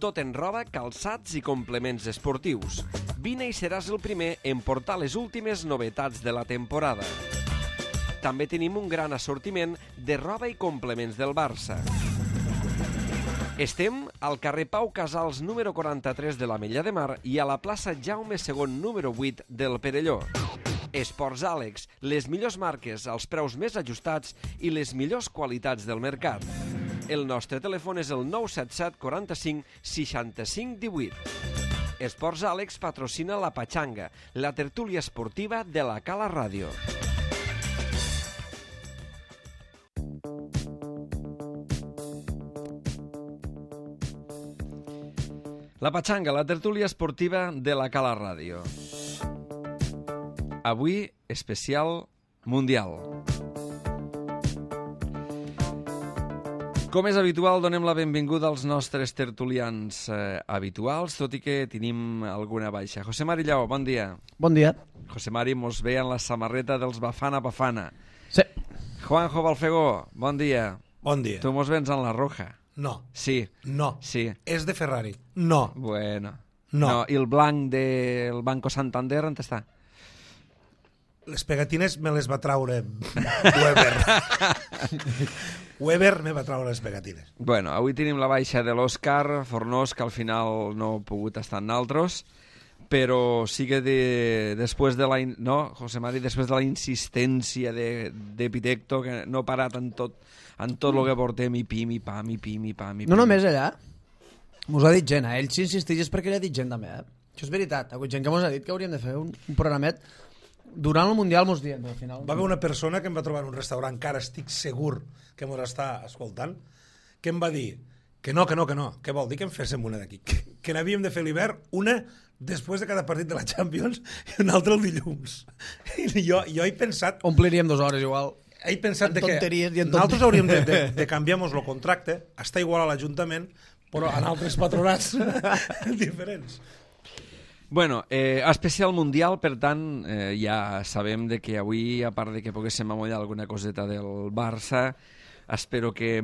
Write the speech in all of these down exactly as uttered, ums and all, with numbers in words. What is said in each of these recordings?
tot en roba, calçats i complements esportius. Vine i seràs el primer en portar les últimes novetats de la temporada. També tenim un gran assortiment de roba i complements del Barça. Estem al carrer Pau Casals número quaranta-tres de l'Ametlla de Mar i a la plaça Jaume segon número vuit del Perelló. Esports Àlex, les millors marques, els preus més ajustats i les millors qualitats del mercat. El nostre telèfon és el nou set set quaranta-cinc seixanta-cinc divuit. Esports Àlex patrocina la Patxanga, la tertúlia esportiva de la Cala Ràdio. La Patxanga, la tertúlia esportiva de la Cala Ràdio. Avui, especial mundial. Com és habitual, donem la benvinguda als nostres tertulians eh, habituals, tot i que tenim alguna baixa. José Mari Lleó, bon dia. Bon dia. José Mari mos ve en la samarreta dels Bafana Bafana. Sí. Juanjo Balfegó, bon dia. Bon dia. Tu mos vens en la roja. No. Sí. No. Sí. És de Ferrari. No. Bueno. No. no. I el blanc del Banco Santander, on està? Les pegatines me les va traure Weber. Weber me va traure les pegatines. Bueno, avui tenim la baixa de l'Òscar Fornós, que al final no ha pogut estar en altres, però sí que de, després de la... In, no, José Mari, després de la insistència de, de Pitecto, que no ha parat en tot, en tot el que portem, i pim, i pam, i pim, i pam, i pim. No només ella. Mos ha dit gent, eh? Ell s'insisteix és perquè ella ha dit gent també, eh? Això és veritat. Hi ha hagut gent que mos ha dit que hauríem de fer un, un programet durant el Mundial, mos dient, al final. Va haver una persona que em va trobar en un restaurant, que ara estic segur que mos està escoltant, que em va dir que no, que no, que no. Què vol dir que en féssim una d'aquí? Que, que n'havíem de fer l'hivern una després de cada partit de la Champions i una altra el dilluns. I jo, jo he pensat... Ompliríem dues hores igual. He pensat de que en nosaltres hauríem de, de, de canviar-nos el contracte, està igual a l'Ajuntament, però en altres patronats diferents. Bueno, eh, especial mundial, per tant, eh, ja sabem de que avui, a part de que poguéssim amollar alguna coseta del Barça, espero que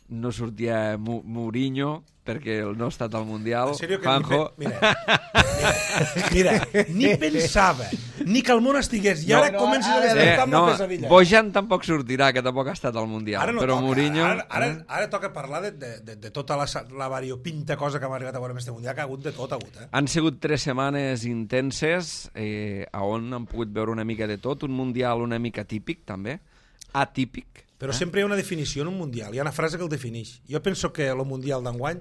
no sortia Mu Mourinho, perquè no ha estat al Mundial. En sèrio que Juanjo... Ni pe... mira, mira, mira, ni pensava, ni que el món estigués, i ara no, comences a despertar amb no, la pesadilla. Bojan tampoc sortirà, que tampoc ha estat al Mundial, no però toca, Mourinho... Ara, ara, ara toca parlar de, de, de, de tota la, la variopinta cosa que hem arribat a veure en este Mundial, que ha hagut de tot, ha hagut. Eh? Han sigut tres setmanes intenses, eh, on han pogut veure una mica de tot, un Mundial una mica típic, també, atípic. Però eh? sempre hi ha una definició en un Mundial, hi ha una frase que el defineix. Jo penso que el Mundial d'enguany,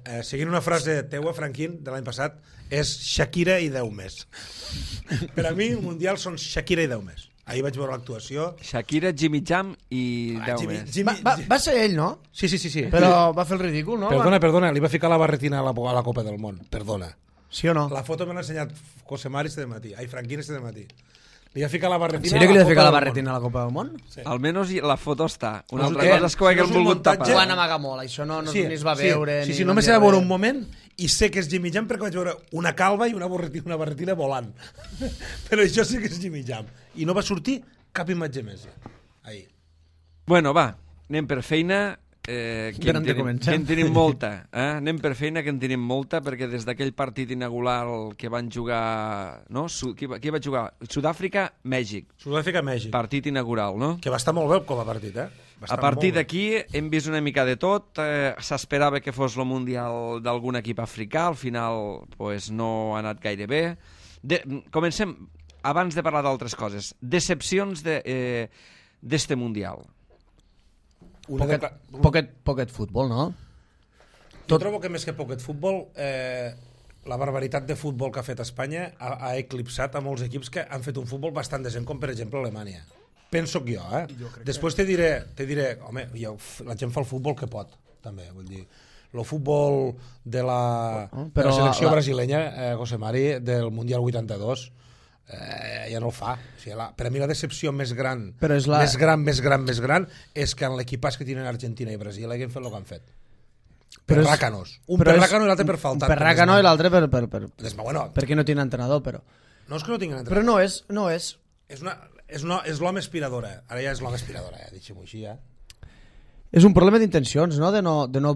eh, seguint una frase teua, Franquín, de l'any passat, és Shakira i deu més. Per a mi, el Mundial són Shakira i deu més. Ahir vaig veure l'actuació. Shakira, Jimmy Jam i Ah, deu Jimmy- més. Jimmy- Va, va, va ser ell, no? Sí, sí, sí, sí. Però va fer el ridícul, no? Perdona, perdona, li va ficar la barretina a la, a la Copa del Món. Perdona. Sí o no? La foto me l'ha ensenyat José Mari este de matí. Ai, Franquín este de matí. Li va ficar la barretina En sèrio que li ha Copa ficat la del barretina a la Copa del Món? Sí. Almenys la foto està. Una No, altra eh, cosa és que ho si no haguem és un volgut muntatge- tapar. Ho van amagar molt, això no, no, Sí, ni es va sí, veure... Sí, ni sí, no només n'hi he de veure res. un moment i sé que és Jimmy Jam perquè vaig veure una calva i una barretina, una barretina volant. Però això sí que és Jimmy Jam. I no va sortir cap imatge més. Ja. Ahir. Bueno, va, anem per feina, eh, que, Per en on te tenim, comencem? que en tenim molta. Eh? Anem per feina, que en tenim molta, perquè des d'aquell partit inaugural que van jugar... No? Su qui, va, qui va jugar? Sud-àfrica, Mèxic. Sud-àfrica, Mèxic. Partit inaugural, no? Que va estar molt bé com a partit, eh? Va A estar partir molt bé. d'aquí hem vist una mica de tot. Eh, S'esperava que fos el Mundial d'algun equip africà, al final pues, no ha anat gaire bé. De, comencem, abans de parlar d'altres coses, decepcions de, eh, d'este Mundial. Una Pocket, de... pocket, pocket futbol, no? Jo trobo que més que pocket futbol, eh, la barbaritat de futbol que ha fet Espanya ha, ha eclipsat a molts equips que han fet un futbol bastant decent, com per exemple Alemanya. Penso que jo, eh? Jo Després que... te diré, te diré, home, jo, la gent fa el futbol que pot, també, vull dir, el futbol de la, Oh, de però la selecció la- brasilenya, eh, José Mari, del Mundial vuitanta-dos, eh, ja no el fa. O sigui, la, per a mi la decepció més gran, Però és la- més gran, més gran, més gran, és que en l'equipàs que tenen Argentina i Brasil hagin fet el que han fet. Per Però és- ràcanos. Un però per és- ràcano i l'altre per faltar. Un per ràcano i l'altre per, per, per, Des, bueno, perquè no tiene entrenador, però... no és que no tinguin Però entrenador. no és, no és... És, una, és, una, és l'home aspiradora. Ara ja és l'home aspiradora, eh? Deixem-ho així, eh? És un problema d'intencions, no? De no, de no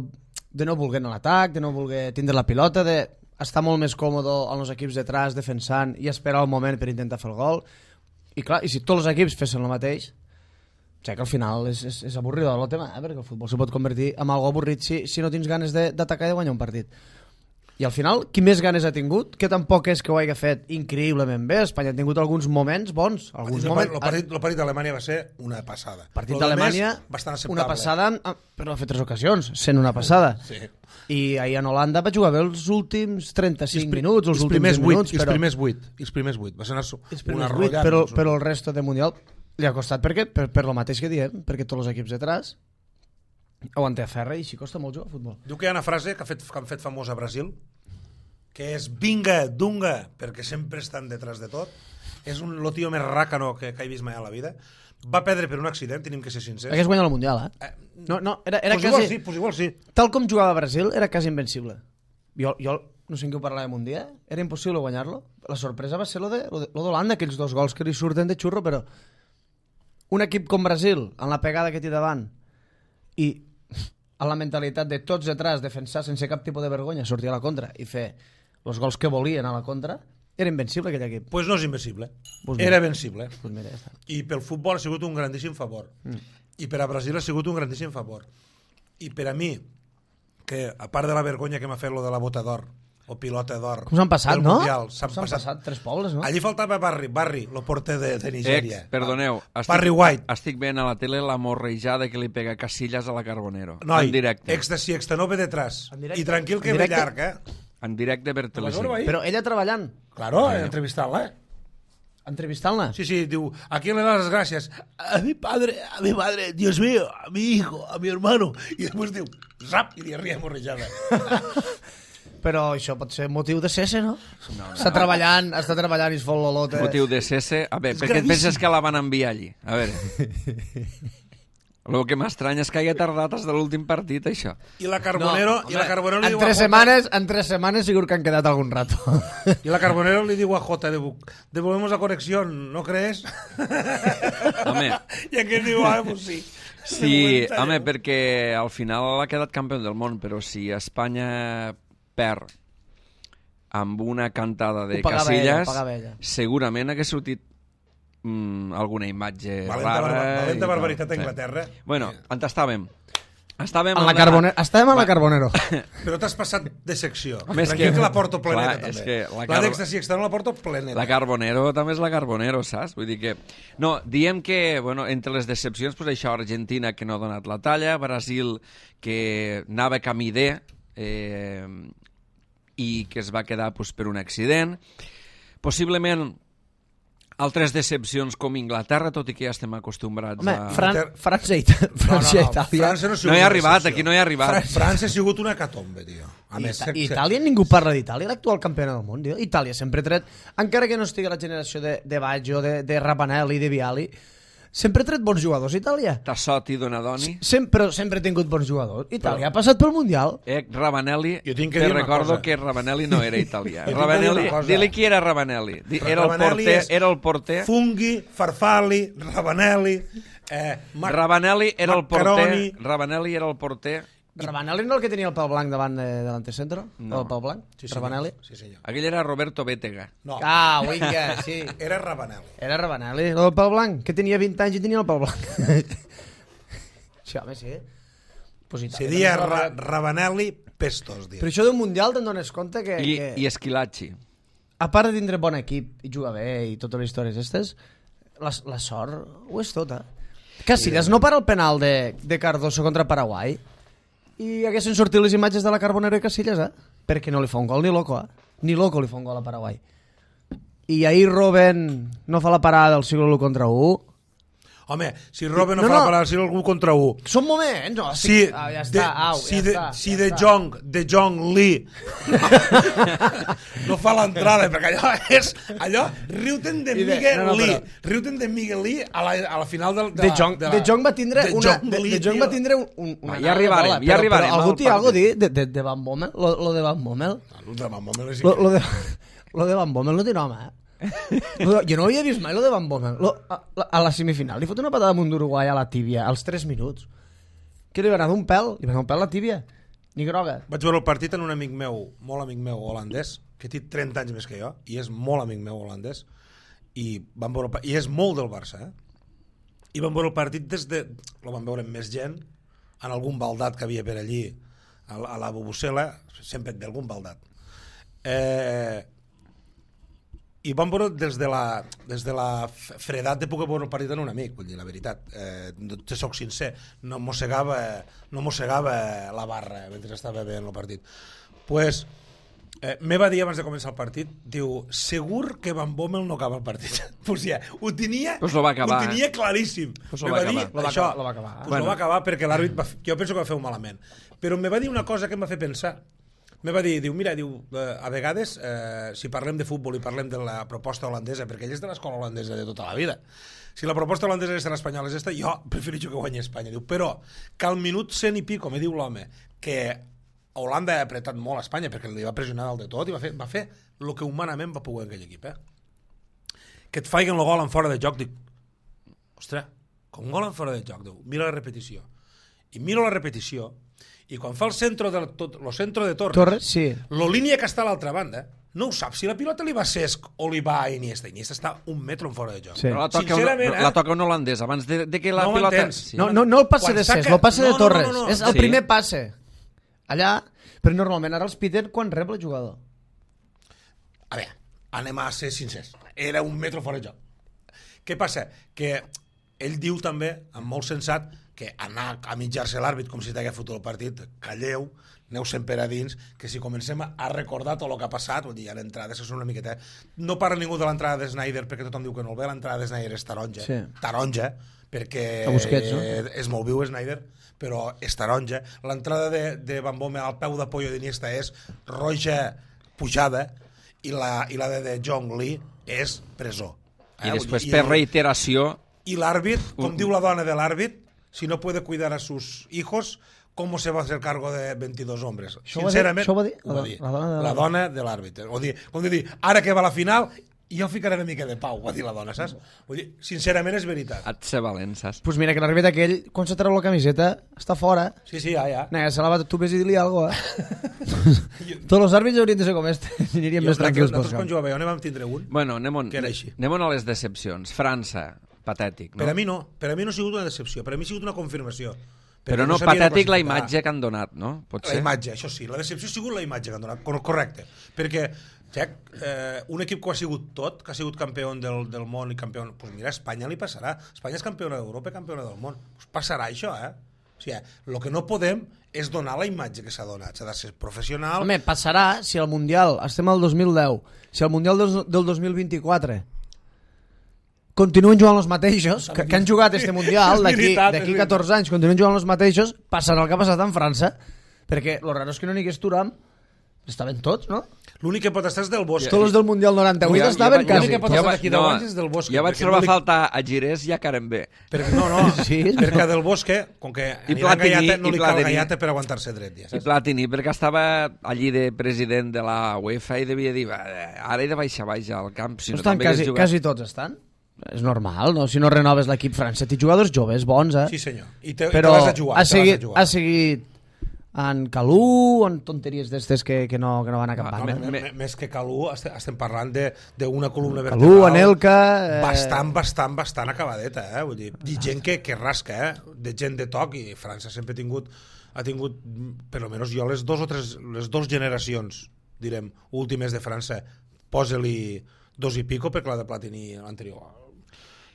de no voler anar a l'atac, de no voler tindre la pilota, de estar molt més còmode als equips detrás defensant i esperar el moment per intentar fer el gol. I clar, i si tots els equips fessin el mateix, o sigui que al final és, és, és avorridor el tema, eh? Perquè el futbol se pot convertir en algo avorrit si, si no tens ganes d'atacar i de guanyar un partit. I al final, qui més ganes ha tingut, que tampoc és que ho hagi fet increïblement bé, Espanya ha tingut alguns moments bons. Alguns el, moments... el, partit, el partit d'Alemanya va ser una passada. El partit d'Alemanya, una passada, però ha fet tres ocasions, sent una passada. Sí. I ahir en Holanda va jugar bé els últims trenta-cinc pri, minuts, els, els últims primers minuts. vuit, però... Els primers vuit, els primers vuit. Va ser una, una arrollant. Però, però el resto de Mundial li ha costat perquè, per, per lo mateix que diem, perquè tots els equips detrás ho en té a ferra i així costa molt jugar a futbol. Diu que hi ha una frase que, ha fet, que han fet famós a Brasil, que és vinga, dunga, perquè sempre estan detrás de tot. És un, lo tio més ràcano que, que he vist mai a la vida. Va perdre per un accident, tenim que ser sincers. Hagués guanyat el Mundial, eh? eh no, no, era, era pues quasi... Igual sí, pues igual sí. Tal com jugava a Brasil, era quasi invencible. Jo, jo no sé en què ho parlàvem un dia, era impossible guanyar-lo. La sorpresa va ser lo de, lo de, lo d'Holanda, aquells dos gols que li surten de xurro, però un equip com Brasil, en la pegada que té davant, i amb la mentalitat de tots detrás defensar sense cap tipus de vergonya, sortir a la contra i fer els gols que volien a la contra, era invencible aquell equip. Pues no és invencible, pues era vencible. Pues mira, ja I pel futbol ha sigut un grandíssim favor. Mm. I per a Brasil ha sigut un grandíssim favor. I per a mi, que a part de la vergonya que m'ha fet lo de la bota d'or, o pilota d'or... Com s'han passat, no? S'han passat. passat tres pobles, no? Allí faltava Barry, Barry, lo porter de, de Nigèria. Ex, perdoneu, estic, Barry White. Estic veient a la tele la morrejada que li pega Casillas a la Carbonero. Noi, en directe. ex de si, ex de no ve detrás. I tranquil que ve llarg, eh? En directe per Telecinco. Però ella treballant. Claro, ah, entrevistant-la, eh? Entrevistant-la. Sí, sí, diu, ¿a quién le das las gracias? A mi padre, a mi madre, Dios mío, a mi hijo, a mi hermano. I després diu, zap, i li ria morrejada. Però això pot ser motiu de cese, no? no, no. Està treballant, està treballant i es fot l'olote. Motiu de cese? A veure, perquè et penses que la van enviar allí? A veure... El que m'estranya és que hagi tardat fins de l'últim partit, això. I la Carbonero... No, i la Carbonero li en, diu tres a setmanes, en tres setmanes segur que han quedat algun rato. I la Carbonero li diu a Jota, devolvemos la conexión, ¿no crees? Home. I aquest diu, ah, pues sí. Sí, home, perquè al final ha quedat campió del món, però si Espanya perd amb una cantada de Casillas, ella, segurament hagués sortit Mm, alguna imatge valenta rara... Barba, valenta barbaritat no, a Inglaterra. Sí. Bueno, on estàvem? Estàvem en la Carbonero. Estàvem a la Carbonero. Però t'has passat de secció. Més Tranquil que, que la porto pleneta, clar, també. Que la, la d'èxtasi externa la porto pleneta. La Carbonero també és la Carbonero, saps? Vull dir que... No, diem que, bueno, entre les decepcions, pues això, Argentina, que no ha donat la talla, Brasil, que anava camí de, eh, i que es va quedar pues, per un accident. Possiblement... Altres decepcions com Inglaterra, tot i que ja estem acostumbrats Home, a... Fran França i Itàlia. No, no, no. Itàlia. No, no hi ha arribat, aquí no hi ha arribat. Fran França ha sigut una catombe, tio. A I, més, I Itàlia, ningú parla d'Itàlia, l'actual campiona del món, tio. Itàlia sempre tret, encara que no estigui la generació de, de Baggio, de, de Ravanelli, de Vialli, sempre ha tret bons jugadors, Itàlia. Tassotti, Donadoni. Sem però sempre ha tingut bons jugadors. Itàlia però... ha passat pel Mundial. Eh, Ravanelli, jo tinc que te dir recordo cosa. que Ravanelli no era italià. Ravanelli, di-li qui era Ravanelli. Era el porter, era el porter. Funghi, Farfalli, Ravanelli... Eh, Mac Ravanelli era el Maccaroni. porter. Ravanelli era el porter. Ravanelli no el que tenia el pèl blanc davant de, de l'antecentro? No. El pèl blanc? Sí, Ravanelli? Sí, senyor. Aquell era Roberto Bétega. No. Ah, vinga, sí. Era Ravanelli. Era Ravanelli, el del pèl blanc, que tenia vint anys i tenia el pèl blanc. Sí, home, sí. Pues se dia Ra Ravanelli Pestos. Dia. Però això d'un Mundial te'n dones compte que... I, que... i Esquilacci. A part de tindre bon equip i jugar bé i totes les històries aquestes, la, la sort ho és tota. Casillas no para el penal de, de Cardoso contra Paraguai i haguessin sortit les imatges de la Carbonero i Casillas, eh? Perquè no li fa un gol ni Loco, eh? Ni Loco li fa un gol a Paraguai. I ahir Robben no fa la parada del segle l'u contra u. Home, si Robben no, no fa no. la parada del segle l'u contra u. Són moments, no? Si, ah, ja de, està, au, si, ja de, està, si ja de està. Jong, de Jong Lee no fa l'entrada, perquè allò és allò, riu-te'n de, de Miguel no, no, Lee però... riu-te'n de Miguel Lee a la, a la final del, de, de, Jong, de, la, de Jong va tindre de una, Jong de, Lee, de Jong va tindre un, un, una ja arribarem, bola, ja arribarem però, però algú té alguna dir de, de, de Van Bommel? Lo, lo de Van Bommel? Lo de Van Bommel és lo, lo, de, lo de Van Bommel no té nom, eh? Jo no havia vist mai lo de Van Bommel. Lo, a, a la semifinal li fot una patada damunt d'Uruguai a la tíbia als tres minuts. Que li va anar d'un pèl, li va anar un pèl a la tíbia. Ni groga. Vaig veure el partit en un amic meu, molt amic meu holandès, que té trenta anys més que jo, i és molt amic meu holandès, i, van veure, i és molt del Barça, eh? I van veure el partit des de... Lo van veure amb més gent, en algun baldat que havia per allí, a, a la Bubucela, sempre et ve algun baldat. Eh, I van veure des de la, des de la fredat de poder veure el partit en un amic, vull dir, la veritat. Eh, te soc sincer, no mossegava, no mossegava la barra mentre estava veient el partit. Pues... Eh, me va dir abans de començar el partit, diu, segur que Van Bommel no acaba el partit. Pues ja, ho tenia, pues lo va acabar, ho tenia eh? claríssim. Pues me va va dir acabar. això, lo va acabar. Pues Bueno. lo va acabar perquè l'àrbit, va, jo penso que va fer un malament. Però me va dir una cosa que em va fer pensar. Me va dir, diu, mira, diu, eh, a vegades, eh, si parlem de futbol i parlem de la proposta holandesa, perquè ell és de l'escola holandesa de tota la vida, si la proposta holandesa és l'espanyol és esta, jo prefereixo que guanyi Espanya. Diu, però que al minut cent i pico, me diu l'home, que Holanda ha apretat molt a Espanya perquè li va pressionar dalt de tot i va fer, va fer el que humanament va poder en aquell equip, eh? Que et faiguen el gol en fora de joc, dic, ostres, com un gol en fora de joc, diu, mira la repetició. I miro la repetició i quan fa el centro de, tot, lo centro de Torres, Torres, sí. la línia que està a l'altra banda, no ho sap si la pilota li va a Cesc o li va a Iniesta. Iniesta està un metro en fora de joc. Sí. Però la toca, un, Sincerament, eh? la toca un holandès abans de, de que la No pilota... m'entens. Sí. No, no, no el passe Quan de saca- Cesc, el passe no, de no, no, Torres. no, no. És el Sí. primer passe. Allà, però normalment ara els piten quan rep el jugador. A veure, anem a ser sincers. Era un metro fora de joc. Què passa? Que ell diu també, amb molt sensat, que anar a mitjar-se l'àrbit com si t'hagués fotut el partit, calleu, aneu sempre a dins, que si comencem a recordar tot el que ha passat, vull dir, hi ha entrades que són una miqueta... No parla ningú de l'entrada de Snyder perquè tothom diu que no el ve, l'entrada de Snyder és taronja. Sí. Taronja, perquè A Busquets, no? és molt viu Snyder, però és taronja. L'entrada de, de Van Bommel al peu de pollo d'Iniesta és roja pujada i la, i la de, de Jong Lee és presó. I Eh? després, I per el- reiteració... Y el árbitro, com Un- diu la dona de l'àrbit, si no puede cuidar a sus hijos, ¿cómo se va a hacer cargo de veintidós hombres? Això ho va dir- Sincerament, això ho va dir? ho va La- dir. la dona de La l'àrbit. dona de l'àrbit. O dir, com de dir, ara que va a la final, jo ficaré una mica de pau, va dir la dona, saps? Vull dir, sincerament és veritat. Et ser valent, saps? Doncs pues mira, que l'àrbit aquell, quan se treu la camiseta, està fora. Sí, sí, ja, ja. Nah, se la va, tu ves i dir-li alguna cosa, eh? Tots els àrbits haurien de ser com este. Aniríem més tranquils pels Nosaltres quan camps. jugàvem, on en vam tindre un? Bueno, anem, on, Que era així. anem on a les decepcions. França, patètic, no? Per a mi no, per a mi no ha sigut una decepció, per a mi ha sigut una confirmació. Però Perquè no s'havia de patètic la classificar. imatge que han donat, no? Pot La ser? imatge, això sí, la decepció ha sigut la imatge que han donat, cor- correcte, perquè Jack, eh, un equip que ho ha sigut tot, que ha sigut campió del, del món i campió, pues mira, a Espanya li passarà, Espanya és campiona d'Europa i campiona del món, pues passarà això, eh? O sigui, el que no podem és donar la imatge que s'ha donat, s'ha de ser professional. Home, passarà si el Mundial, estem al dos mil deu, si el Mundial del, del dos mil vint-i-quatre continuen jugant els mateixos, que, que han jugat este Mundial, És d'aquí veritat, és d'aquí veritat. catorze anys, continuen jugant els mateixos, passarà el que ha passat en França, perquè lo raro és que no n'hi hagués Turam, estaven tots, no? L'únic que pot estar és del Bosque. Tots els del Mundial noranta-vuit Ja- estaven ja- quasi. L'únic que pot Ja estar va- d'aquí deu no, anys és del Bosque. Ja vaig perquè trobar no li- faltar a Girés i a Carembé. Perquè, no, no, Sí, perquè del Bosque, com que I anirà Platini, Gallata, no i li cal Platini. Gallata per aguantar-se dret, ja I saps? Platini, perquè estava allí de president de la UEFA i devia dir, "Va, ara he de baixar baix al camp, si No no, estan també hagués quasi, jugat." quasi tots estan. És normal, no? Si no renoves l'equip francès, té jugadors joves, bons, eh? Sí, senyor. I te, Però i te l'has de jugar. ha te l'has de seguit, jugar. ha seguit en Calú, en tonteries d'estes que, que, no, que no van a cap Ah, banda. No, me- me- més que Calú, estem, estem parlant de- d'una columna vertebral Calú, Anelka... Eh... bastant, bastant, bastant acabadeta, eh? Vull dir, i gent que, que rasca, eh? De gent de toc, i França sempre ha tingut, ha tingut, per almenys jo, les dos o tres, les dos generacions, direm, últimes de França, posa-li dos i pico, perquè la de Platini l'anterior,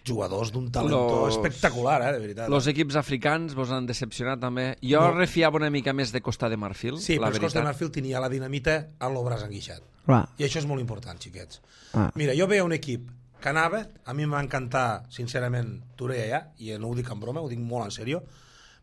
jugadors d'un talento Los- espectacular, eh? De veritat. Els equips africans vos han decepcionat també. Jo No. refiava una mica més de Costa de Marfil, Sí, la però és que Costa veritat. de Marfil tenia la dinamita a l'obres enguixat. Clar. I això és molt important, xiquets. Ah. Mira, jo veia un equip que anava, a mi em va encantar, sincerament, Touré ja, i no ho dic en broma, ho dic molt en sèrio,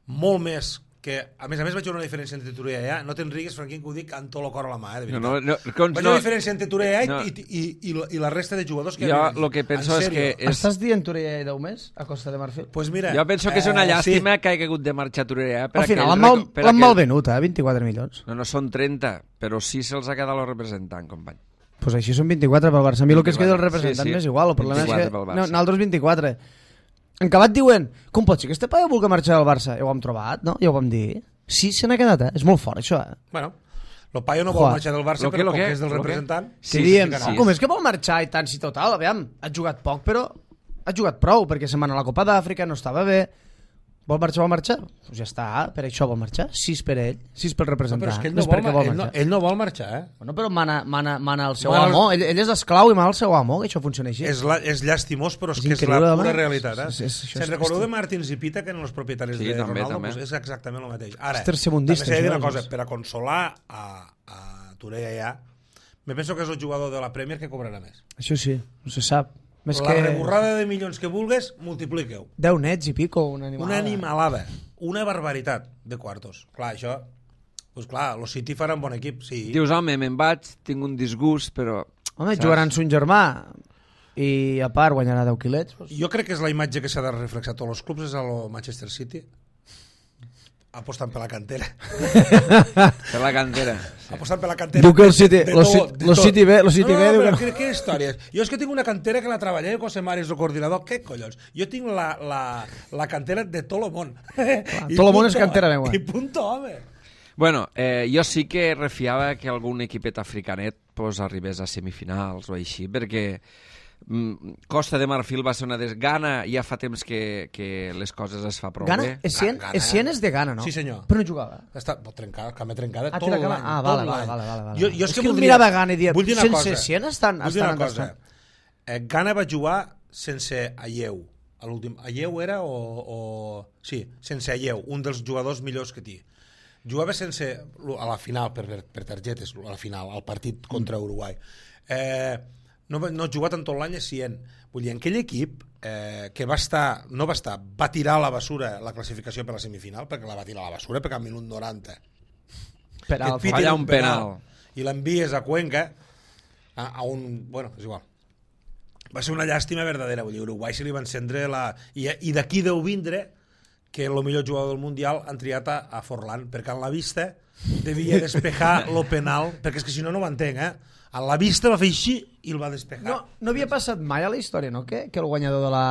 molt més que, a més a més vaig veure una diferència entre Touré i ja, no te'n rigues, Franquín, que ho dic amb tot el cor a la mà, eh, de veritat. No, no, no, com- vaig veure no. una diferència entre Touré i, No. i, i, i, la- i la resta de jugadors que Jo hi havia. lo que penso En és sèrio. que és- Estàs dient Torella i deu més a Costa de Marfil? Pues mira, Jo penso que és una eh, llàstima que hagi hagut de marxar Touré. Eh, per Al final aquell l'han mal, reco- per l'han aquell- mal venut, eh? vint-i-quatre milions. No, no són trenta, però sí se'ls ha quedat el representant, company. Pues així són vint-i-quatre pel Barça. A mi el que es queda el vint-i-quatre, representant sí, sí. m'és igual. El problema és vint-i-quatre que pel Barça. no, nosaltres vint-i-quatre. En acabat diuen, com pot ser que este paio vulgui marxar del Barça? Ja ho hem trobat, no? Ja ho vam dir. sis se n'ha quedat, eh? És molt fort, això, eh? Bueno, lo Paio no vol Joder. marxar del Barça, Lo que, però lo com que, que és del lo que. representant... Sí, Sí, diem, sí, no, sí. com és que vol marxar i tant, si total, aviam, ha jugat poc, però ha jugat prou, perquè se'n va anar a la Copa d'Àfrica, no estava bé, vol marxar, vol marxar? Pues ja està, per això vol marxar, sis per ell, sis pel No, representant, però és que ell no no, és vol, perquè mar- vol ell, no, marxar. ell no vol marxar, eh? Bueno, però mana, mana, mana el seu Mana el- amo, ell, ell és esclau i mana el seu amo, que això funciona així. És, la, és llàstimós, però és, És que és la increïble, pura home. realitat. Eh? És- és- això Se'n és recordeu trist. de Martins i Pita, que eren els propietaris Sí, de també, Ronaldo? també. Pues és exactament el mateix. Ara, És tercermundista, també s'ha de dir això, una cosa, és- per a consolar a, a Touré ja, me penso que és el jugador de la Premier que cobrarà més. Això sí, no se sap. Més La que reborrada de milions que vulgues, multipliqueu. deu nets i pico, una animalada. Una animalada, una barbaritat de quartos. Clar, això... Pues clar, los City faran bon equip, sí. Dius, home, me'n vaig, tinc un disgust, però... Home, saps? jugaran son germà i a part guanyarà deu quilets. Pues... Jo crec que és la imatge que s'ha de reflexar a tots els clubs, és a lo Manchester City, apostant per la cantera. Per la cantera. Apostant per la cantera. Diu que el City- de lo tot, City- de lo tot. City B, lo City no, B no, diu però que no. què, què històries? Jo és que tinc una cantera que la treballé, José Mari és el coordinador. Què collons? Jo tinc la, la, la cantera de tot el món. I tot el món és punto, cantera meua. I punto, home. Bueno, eh, jo sí que refiava que algun equipet africanet pues, arribés a semifinals o així, perquè mm, Costa de Marfil va ser una des... Ghana ja fa temps que, que les coses es fa prou Ghana, bé. Essien, Ghana. Essien és de Gana, no? Sí, senyor. Però no jugava. Està trencada, cama trencada Ah, tot tira l'any. cama- ah, tot vale, l'any. vale, vale, vale, vale. Jo, jo és És que que voldria, mirava Ghana i dia, vull dir una sense cosa. Essien estan- vull dir estan una cosa. endastant. Eh, Ghana va jugar sense Ayeu. A l'últim, Ayeu era o, o... Sí, sense Ayeu, un dels jugadors millors que té. Jugava sense... A la final, per, per, per targetes, a la final, al partit contra Uruguai. Eh, no, va- no ha jugat en tot l'any a Cien. Vull dir, en aquell equip eh, que va estar, no va estar, va tirar a la basura la classificació per la semifinal, perquè la va tirar a la basura, perquè al minut noranta Per que et al pitin Falla un penal. i l'envies a Cuenca a, a un... Bueno, és igual. Va ser una llàstima verdadera. Vull dir, Uruguai se li va encendre la... I, i d'aquí deu vindre que el millor jugador del Mundial han triat a, a Forlán, perquè en la vista devia despejar lo penal, perquè és que si no, no ho entenc, eh? En la vista va fer així i el va despejar. No, no havia passat mai a la història, no? Que, que el guanyador de la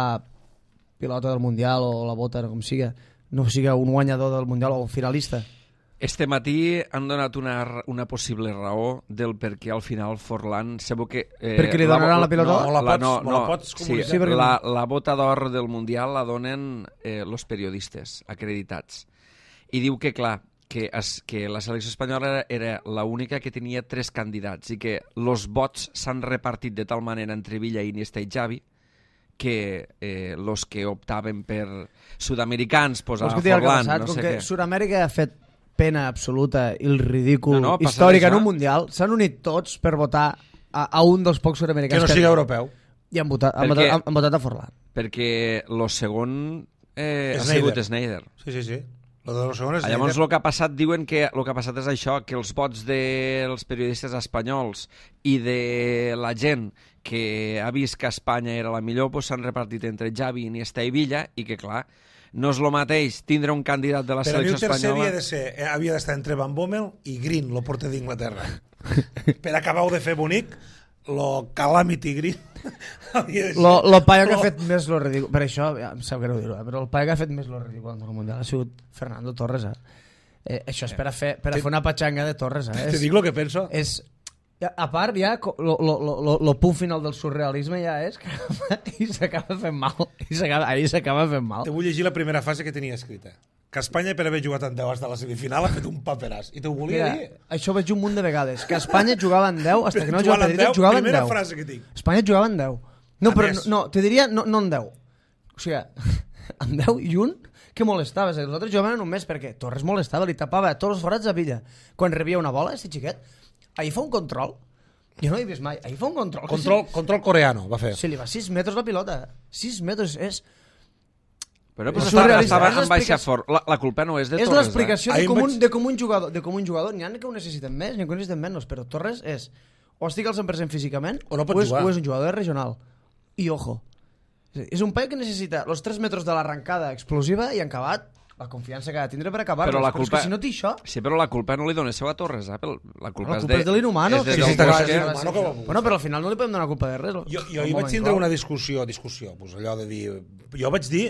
pilota del Mundial o la bota, com siga, no siga un guanyador del Mundial o un finalista. Este matí han donat una, una possible raó del per què al final Forlán segur que... Eh, Perquè li donaran la pilota no, d'or? No la la, pots- no, no la no, pots sí, comunicar. Sí, perquè la, no. la bota d'or del Mundial la donen eh, los periodistes acreditats. I diu que, clar, que, es, que la selecció espanyola era, era l'única que tenia tres candidats i que els vots s'han repartit de tal manera entre Villa, Iniesta i Xavi que eh, los que optaven per sud-americans pues, Vols a que et digui el que ha Forlán, passat? no Com sé que què. Sud-amèrica ha fet pena absoluta i el ridícul No, no, passa històric en d'això. un Mundial, s'han unit tots per votar a, a un dels pocs que sud-americans no sigui europeu. i han votat, han, Perquè- votat, han, han votat a Forlán. Perquè el segon eh, ha Sneijder. sigut Sneijder. Sí, sí, sí. Lo de los segones... Llavors el que ha passat, diuen que el que ha passat és això, que els vots dels periodistes espanyols i de la gent que ha vist que Espanya era la millor doncs s'han repartit entre Xavi, Iniesta i Villa i que, clar, no és el mateix tindre un candidat de la Per a mi selecció el tercer espanyola... havia de ser, eh, havia d'estar entre Van Bommel i Green, lo porter d'Inglaterra. Per acabar-ho de fer bonic, lo Calamity Green havia de ser... Lo, lo paio que ha lo- fet més lo ridícul, per això, ja, em sap greu dir-ho, eh, però el paio que ha fet més lo ridícul en el Mundial ha sigut Fernando Torres. Eh? Eh, això és per a fer, per a fer una patxanga de Torres. Eh? Te És, dic el que penso. és, ja, a part, ja, co- lo, lo, lo, lo, lo punt final del surrealisme ja és que i s'acaba fent mal. I s'acaba, ahir s'acaba fent mal. Te vull llegir la primera fase que tenia escrita. Que Espanya, per haver jugat en deu hasta la semifinal, ha fet un paperàs. I te ho volia Mira, dir. això ho vaig dir un munt de vegades, que Espanya jugava en deu, fins que no Jugant jugava en Pedrito, deu, jugava en primera deu. frase que tinc. Espanya jugava en deu. No, A però més. no, no, te diria no, no en deu. O sigui, en deu i un que molestava. És a dir, els altres jugaven en un mes perquè Torres molestava, li tapava tots els forats a Villa. Quan rebia una bola, este xiquet, ahir fa un control. Jo no he vist mai. Ahir fa un control. que Control, control coreano, va fer. Se, se li va sis metres la pilota. sis metres és... Però pues, És estava, surrealista, estava és en baixa l'explicació- fort. La, la culpa no és de És Torres, l'explicació eh? de, Ahir com em un, vaig- de com un jugador. De com un jugador. N'hi ha que ho necessiten més, n'hi ha que ho necessiten menys, però Torres és o estic al cent per cent físicament O no pot o, és, jugar. o és un jugador regional. I ojo, és un paio que necessita els tres metres de l'arrencada explosiva i en acabat la confiança que ha de tindre per acabar. Però la és culpa- que si no té això... Sí, però la culpa no li doneseu a Torres, eh? Pel- La culpa, La culpa és de l'inhumano. és de Sí, Del sí, està clar, Bosque. és l'inhumano que va poder. Bueno, però al final no li podem donar culpa de res. Jo, jo hi vaig tindre una discussió, discussió, pues allò de dir... Jo vaig dir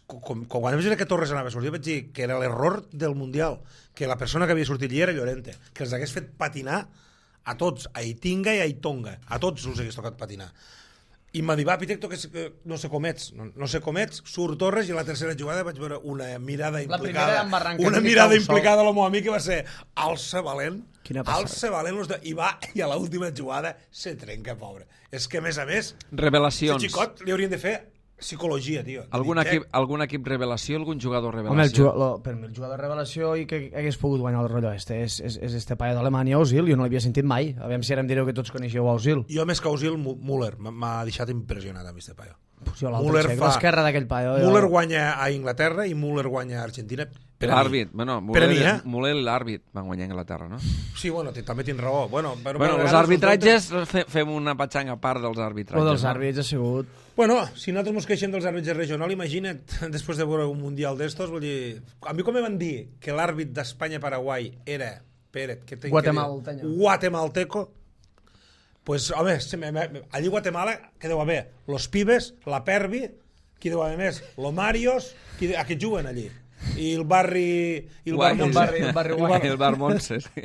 com, com quan vaig dir que Torres anava a sortir, vaig dir que era l'error del Mundial, que la persona que havia sortit allí era Llorente, que els hagués fet patinar a tots, a Itinga i a Itonga, a tots els hagués tocat patinar. I m'ha dit, va, Pitecto, que no sé com ets, no, no sé com ets, surt Torres i a la tercera jugada vaig veure una mirada implicada, una mirada implicada a l'home amic que va ser alça valent, alça valent, i va, i a l'última jugada se trenca, pobre. És que, a més a més, revelacions. aquest xicot li haurien de fer psicologia, tio. Algun equip, algun equip revelació, algun jugador revelació? Home, el jugador, per mi el jugador revelació i que hagués pogut guanyar el rotllo este és, és, és este paio d'Alemanya, Ozil, jo no l'havia sentit mai. Aviam si ara em direu que tots coneixeu Ozil. Jo més que Ozil, Müller, m'ha deixat impressionat amb este paio. Pues jo l'altre xec, fa... l'esquerra d'aquell paio. Müller jo... guanya a Inglaterra i Müller guanya a Argentina. Per l'àrbit, bueno, Müller, mi, eh? Müller i l'àrbit van guanyar a Anglaterra, no? Sí, bueno, també tens raó. Bueno, però bueno els arbitratges, fe, fem una patxanga a part dels arbitratges. O dels àrbits ha sigut... Bueno, si nosaltres ens queixem dels àrbits regional, imagina't, després de veure un mundial d'estos, vull dir... A mi com me van dir que l'àrbit d'Espanya-Paraguai era... Pérez, que Guatemalteco. Guatemalteco. Pues, home, allí a Guatemala, què deu haver? Los Pibes, la Pervi, qui deu haver més? Los Marios, qui, a què juguen allí? I el barri... I el, Guai, bar el barri, el barri el bar, el bar Montse, sí.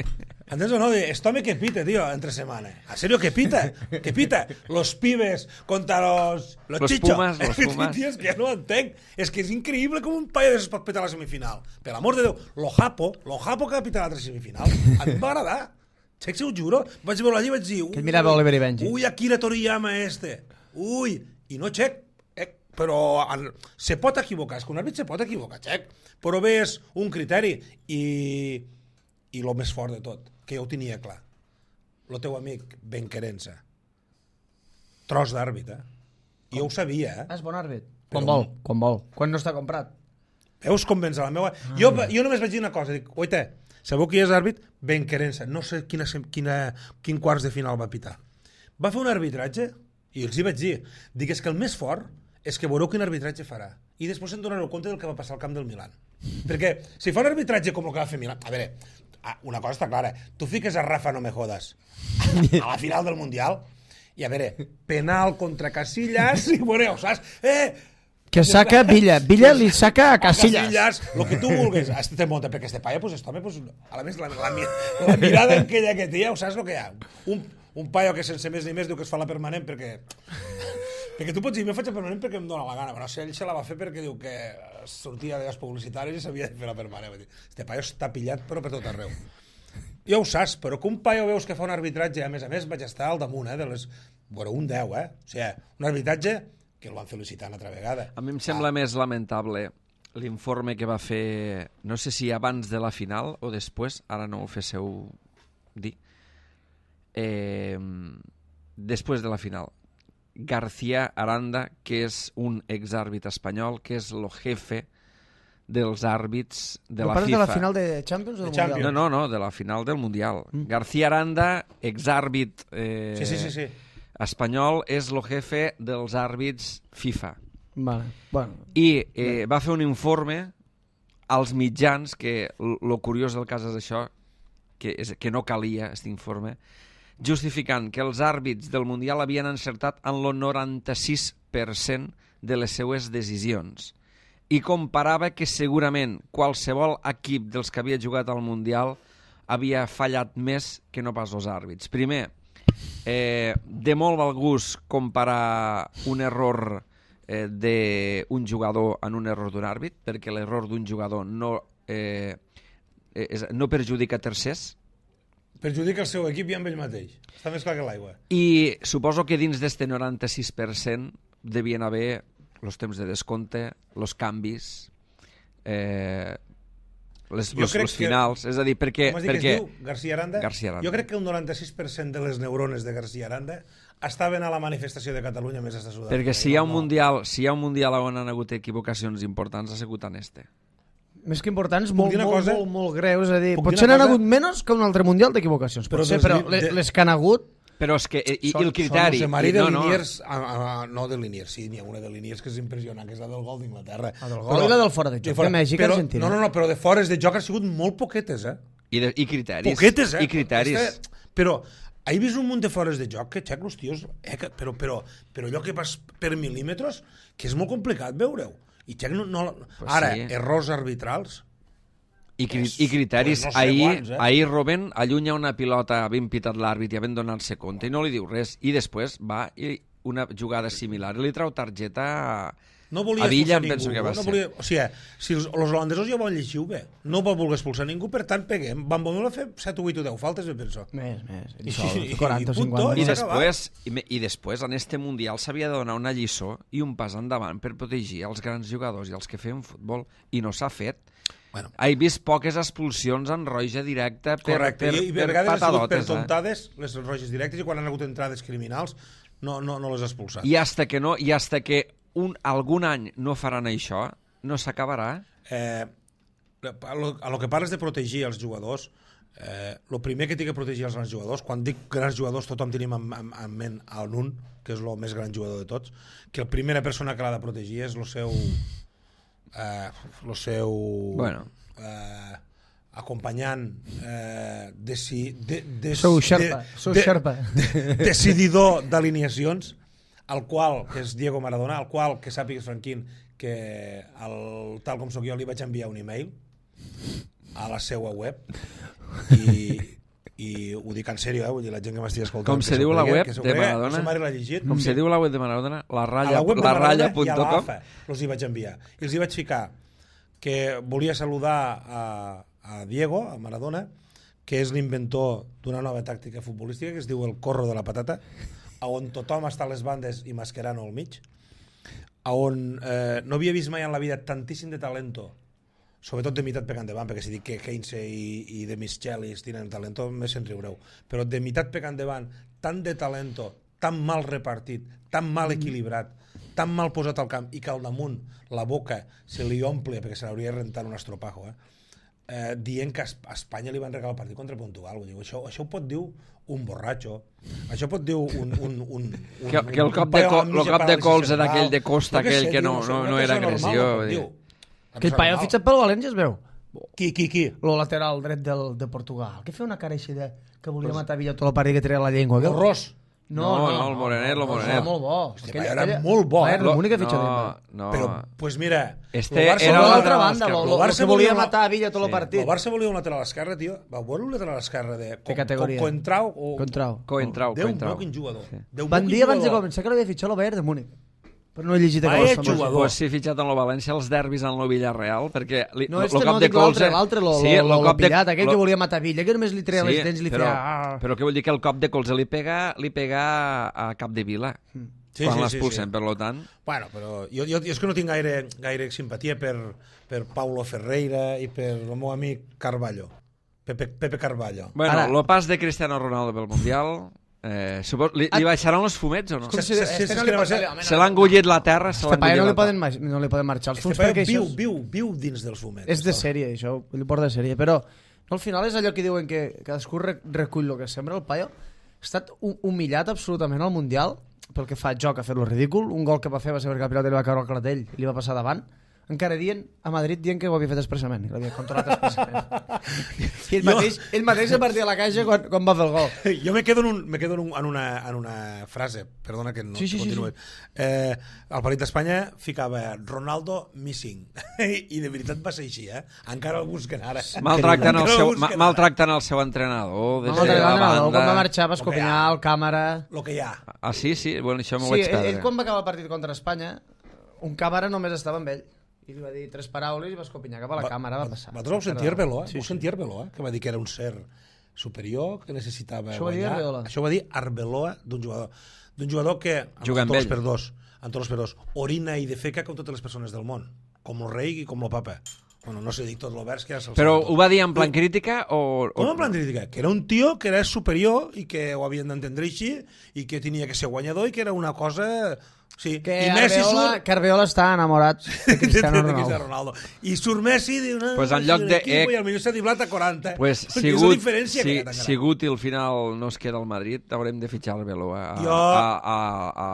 Entens o no? Este home que pite, tío, entre semana. ¿En serio que pita? ¿Que pita? Los Pibes contra los... Los, los chichos. Pumas, los Pumas. Tío, es que no ho entenc. És que és increïble com un paio de pot petar la semifinal. Per l'amor de Déu, lo Japo, lo Japo que va pitar l'altra semifinal, a mi em va agradar. Xec, si ho juro. Vaig veure allí i vaig dir... Que mirava Oliver i Benji. Ui, Akira Toriyama este. Ui, i no, Xec, eh, però en, se pot equivocar, és que un àrbit se pot equivocar, Xec, però ves un criteri i, i lo més fort de tot, que jo ho tenia clar, lo teu amic Benquerença, tros d'àrbit, eh? Jo ho sabia, eh? Ah, és bon àrbit. Quan vol, quan vol. Quan no està comprat. Veus com vens a la meva... Ah. Jo, jo només vaig dir una cosa, dic, oita, sabeu qui és àrbit? Benquerença, no sé quina, quina, quin quarts de final va pitar. Va fer un arbitratge, i els hi vaig dir, dic, és que el més fort és que veureu quin arbitratge farà, i després em donareu compte del que va passar al camp del Milan. Perquè si fa un arbitratge com el que va fer Milan... A veure, una cosa està clara, tu fiques a Rafa No Me Jodas a la final del Mundial, i a veure, penal contra Casillas, i bueno, saps? Eh, que saca Villa, Villa li saca a Casillas. A Casillas, lo que tu vulguis. Este te monta, perquè este paia, pues, este home, pues, a la més, la, la, la mirada aquella que té, saps el que hi ha? Un, un paio que sense més ni més diu que es fa la permanent perquè... Perquè tu pots dir, me faig la permanent perquè em dóna la gana, però si ell se la va fer perquè diu que sortia de les publicitaris i s'havia de fer la permanent. Este paio està pillat, però per tot arreu. Ja ho saps, però que un paio veus que fa un arbitratge, a més a més vaig estar al damunt, eh, de les... Bueno, un deu, eh? O sigui, un arbitratge que el van felicitar una altra vegada. A mi em sembla ah. més lamentable l'informe que va fer, no sé si abans de la final o després, ara no ho féssiu dir, eh, després de la final. García Aranda, que és un exàrbit espanyol, que és el jefe dels àrbits de no la FIFA. De la final de Champions o del de Mundial? No, no, no, de la final del Mundial. Mm. García Aranda, exàrbit eh, sí, sí, sí, sí. espanyol, és el jefe dels àrbits FIFA. Vale. Bueno. I eh, va fer un informe als mitjans, que el curiós del cas és això, que, és, que no calia aquest informe, justificant que els àrbits del Mundial havien encertat en el noranta-sis per cent de les seues decisions i comparava que segurament qualsevol equip dels que havia jugat al Mundial havia fallat més que no pas els àrbits. Primer, eh, de molt mal gust comparar un error eh, d'un jugador en un error d'un àrbit, perquè l'error d'un jugador no, eh, eh, no perjudica tercers, perjudica el seu equip i amb ell mateix. Està més clar que l'aigua. I suposo que dins d'este noranta-sis per cent devien haver els temps de descompte, els canvis, eh, les, los, los finals. Que, és a dir, perquè... Com has dit perquè... que es diu? García Aranda? García Aranda. Jo crec que el noranta-sis per cent de les neurones de García Aranda estaven a la manifestació de Catalunya més a Sud-àfrica. Perquè si hi ha un mundial, si hi ha un mundial on han hagut equivocacions importants, ha sigut en este. Més que importants, molt, molt, cosa? molt, molt greus. És a dir, potser n'han hagut menys que un altre mundial d'equivocacions. Potser, però, però les, les que han hagut... Però és que, i, són, i el criteri... Són José de no, Liniers, no. A, a, no de Liniers, sí, n'hi ha una de Liniers que és impressionant, que és la del gol d'Inglaterra. La del gol però, i la del fora de joc, de, fora, de Mèxic, però, Argentina. No, no, no, però de fores de joc han sigut molt poquetes, eh? I, de, i criteris. Poquetes, eh? I criteris. Este, però he vist un munt de fores de joc que, xec, els tios, eh, que, però, però, però allò que vas per mil·límetres, que és molt complicat veure-ho. I Txec no... no... Pues Ara, sí. errors arbitrals... I, cri i criteris. pues no sé ahir, quants, eh? ahir Robben allunya una pilota, havent pitat l'àrbit i havent donat-se compte i no li diu res. I després va i una jugada similar i li trau targeta a, No volia a Villa, expulsar em penso ningú. que va no ser. volia... O sigui, si els, els holandesos ja ho van llegir bé, no va voler expulsar ningú, per tant peguem. Van voler fer set o vuit o deu faltes, jo penso. Més, més. I- I, sol, i- quaranta o i cinquanta. I s'ha després, i, me- I després, en este Mundial, s'havia de donar una lliçó i un pas endavant per protegir els grans jugadors i els que feien futbol, i no s'ha fet. Bueno. He vist poques expulsions en roja directa per, Correcte, per, i, i a per vegades han sigut per patadotes. Eh? tontades, les roges directes, i quan han hagut entrades criminals no, no, no les ha expulsat. I hasta que, no, i hasta que un, algun any no faran això, no s'acabarà. Eh, a, lo, a lo que parles de protegir els jugadors, eh, el primer que té que protegir els grans jugadors, quan dic grans jugadors tothom tenim en, en, en ment a Nun, que és el més gran jugador de tots, que la primera persona que l'ha de protegir és el seu eh, el seu Bueno. eh, acompanyant eh, deci, de, de, Sou xerpa, de, sou de, xerpa. de, decididor d'alineacions, al qual, que és Diego Maradona, al qual, que sàpigues, Franquín, que el, tal com sóc jo li vaig enviar un email a la seva web i, i ho dic en sèrio, eh? Vull dir, la gent que m'estigui escoltant, Com que se s'ho diu la cregui, web que s'ho de cregui, Maradona? que sa mare l'ha llegit. Com se diu la web de Maradona? La A ratlla, la web de la Maradona ratlla i punt a com. l'A F A els hi vaig enviar. I els hi vaig ficar que volia saludar a, a Diego, a Maradona, que és l'inventor d'una nova tàctica futbolística que es diu el corro de la patata, on tothom està a les bandes i Mascherano al mig, on eh, no havia vist mai en la vida tantíssim de talento, sobretot de mitat pegant davant, perquè si dic que Heinze i, i de Michelis tenen talento, més se'n riureu, però de mitat pegant davant, tant de talento, tan mal repartit, tan mal equilibrat, tan mal posat al camp, i que al damunt la boca se li omple, perquè se l'hauria rentat un estropajo, eh? Eh, dient que a Espanya li van regalar el partit contra Portugal. Vull dir, això, això ho pot dir un borratxo, això pot dir un... un, un, un Que, que el un cop de, paio co amb el mitja cop de paràlisi colze cerebral. d'aquell de Costa, Jo què aquell sé, que no, tio, no, una no era persona agressió. normal, vull dir. diu. Una Aquell persona paio normal. fitxat pel València es veu. Qui, qui, qui? Lo lateral dret del, de Portugal. Que feia una cara així de... que volia matar Villa tot el partit que treia la llengua. El Ros. No, no, el Morenet, el Morenet. Era molt bo. Hòstia, era molt bo, eh? Era l'única fitxa no, de no. Però, pues mira... Este lo Barça era Era volia- l'altra lateral banda, esquerre. lo, Lo lo, Barça que volia volia- matar a Villa tot el Sí. partit. El Barça volia un lateral esquerre, tio. Va veure un lateral esquerre de... De categoria. Coentrau o... Contrau. Coentrau, Déu Coentrau. meu, quin jugador. Sí. Déu meu, Van quin dir abans de jugador. començar que l'havia fitxat el Bayern de Múnich. Però no he llegit Vaya aquesta informació. jugador. Pues sí, fitxat en el València els derbis en el Villarreal, perquè li, No, lo este cop no, de dic l'altre, colze... l'altre, lo, sí, lo, lo, lo lo cop de- pillat, aquell lo- que volia matar Villa, que només li treia les dents i li però, feia... Ah. però què vull dir? Que el cop de colze li pega, li pega a cap de Vila, Sí, quan sí, sí, l'expulsen, sí. per lo tant... Bueno, però jo, jo, jo és que no tinc gaire, gaire simpatia per, per Paulo Ferreira i per el meu amic Carballo. Pepe, Pepe Carballo. Bueno, Ara- el pas de Cristiano Ronaldo pel Mundial... Eh, supos, li, li baixaran els fumets o no? Sí, Si- sí, este sí, no és li que no va pot- ser- home, Se l'ha engullit la terra, se l'ha Este paio no li, engullit la poden, terra. mar- no li poden marxar els Este fums paio perquè viu, això és, viu, viu dins dels fumets. és de sèrie, això, li porta de sèrie. Però al final és allò que diuen que cadascú re- recull el que sembra. El paio ha estat hu- humillat absolutament al Mundial pel que fa joc, a fer-lo ridícul. Un gol que va fer va ser perquè el pilot li va caure al clatell i li va passar davant. Encara dient, a Madrid dient que ho havia fet expressament, que l'havia controlat expressament. I ell mateix, ell mateix se partia la caixa quan, quan va fer el gol. Jo me quedo, en, un, me quedo en, un, en, una, en una frase, perdona que no Sí, sí, sí, continuï. Eh, el partit d'Espanya ficava Ronaldo missing. I de veritat va ser així, eh? Encara el busquen ara. Maltracten el, Encara seu, busquen ma- ara. maltracten el seu entrenador des No, de la banda. quan va marxar va escopinyar el càmera... Lo que hi ha. Ah, sí, sí, bueno, això m'ho Sí, vaig ell, perdre. ell quan va acabar el partit contra Espanya, un càmera només estava amb ell. I li va dir tres paraules i va escopinyar cap a la càmera, va passar. Vosaltres ho sentir Arbeloa, Sí, ho sí. sentir Arbeloa, que va dir que era un ser superior, que necessitava Això ho va dir guanyar. Arbeloa. Això ho va dir Arbeloa d'un jugador. D'un jugador que, amb Juga amb tots els ell. perdós, amb tots els perdós, orina i defeca com totes les persones del món, com el rei i com el papa. Bueno, no sé, dic tot l'oberts, que ja se'l Però saben tot. ho va dir en plan crítica o... o... Com en plan crítica? Que era un tio que era superior i que ho havien d'entendre així i que tenia que ser guanyador i que era una cosa... Sí. Que I Messi Arbeola, surt... que Arbeola està enamorat de Cristiano de Ronaldo. Ronaldo. I surt Messi i diu... No, Pues en sí, lloc un de- equipo, eh, I al millor s'ha diblat a quaranta. Pues, Perquè si és la Gut, diferència si, que hi ha tan si gran. Guti al final no es queda al Madrid, haurem de fitxar el Arbeloa a, Jo- a, a, a,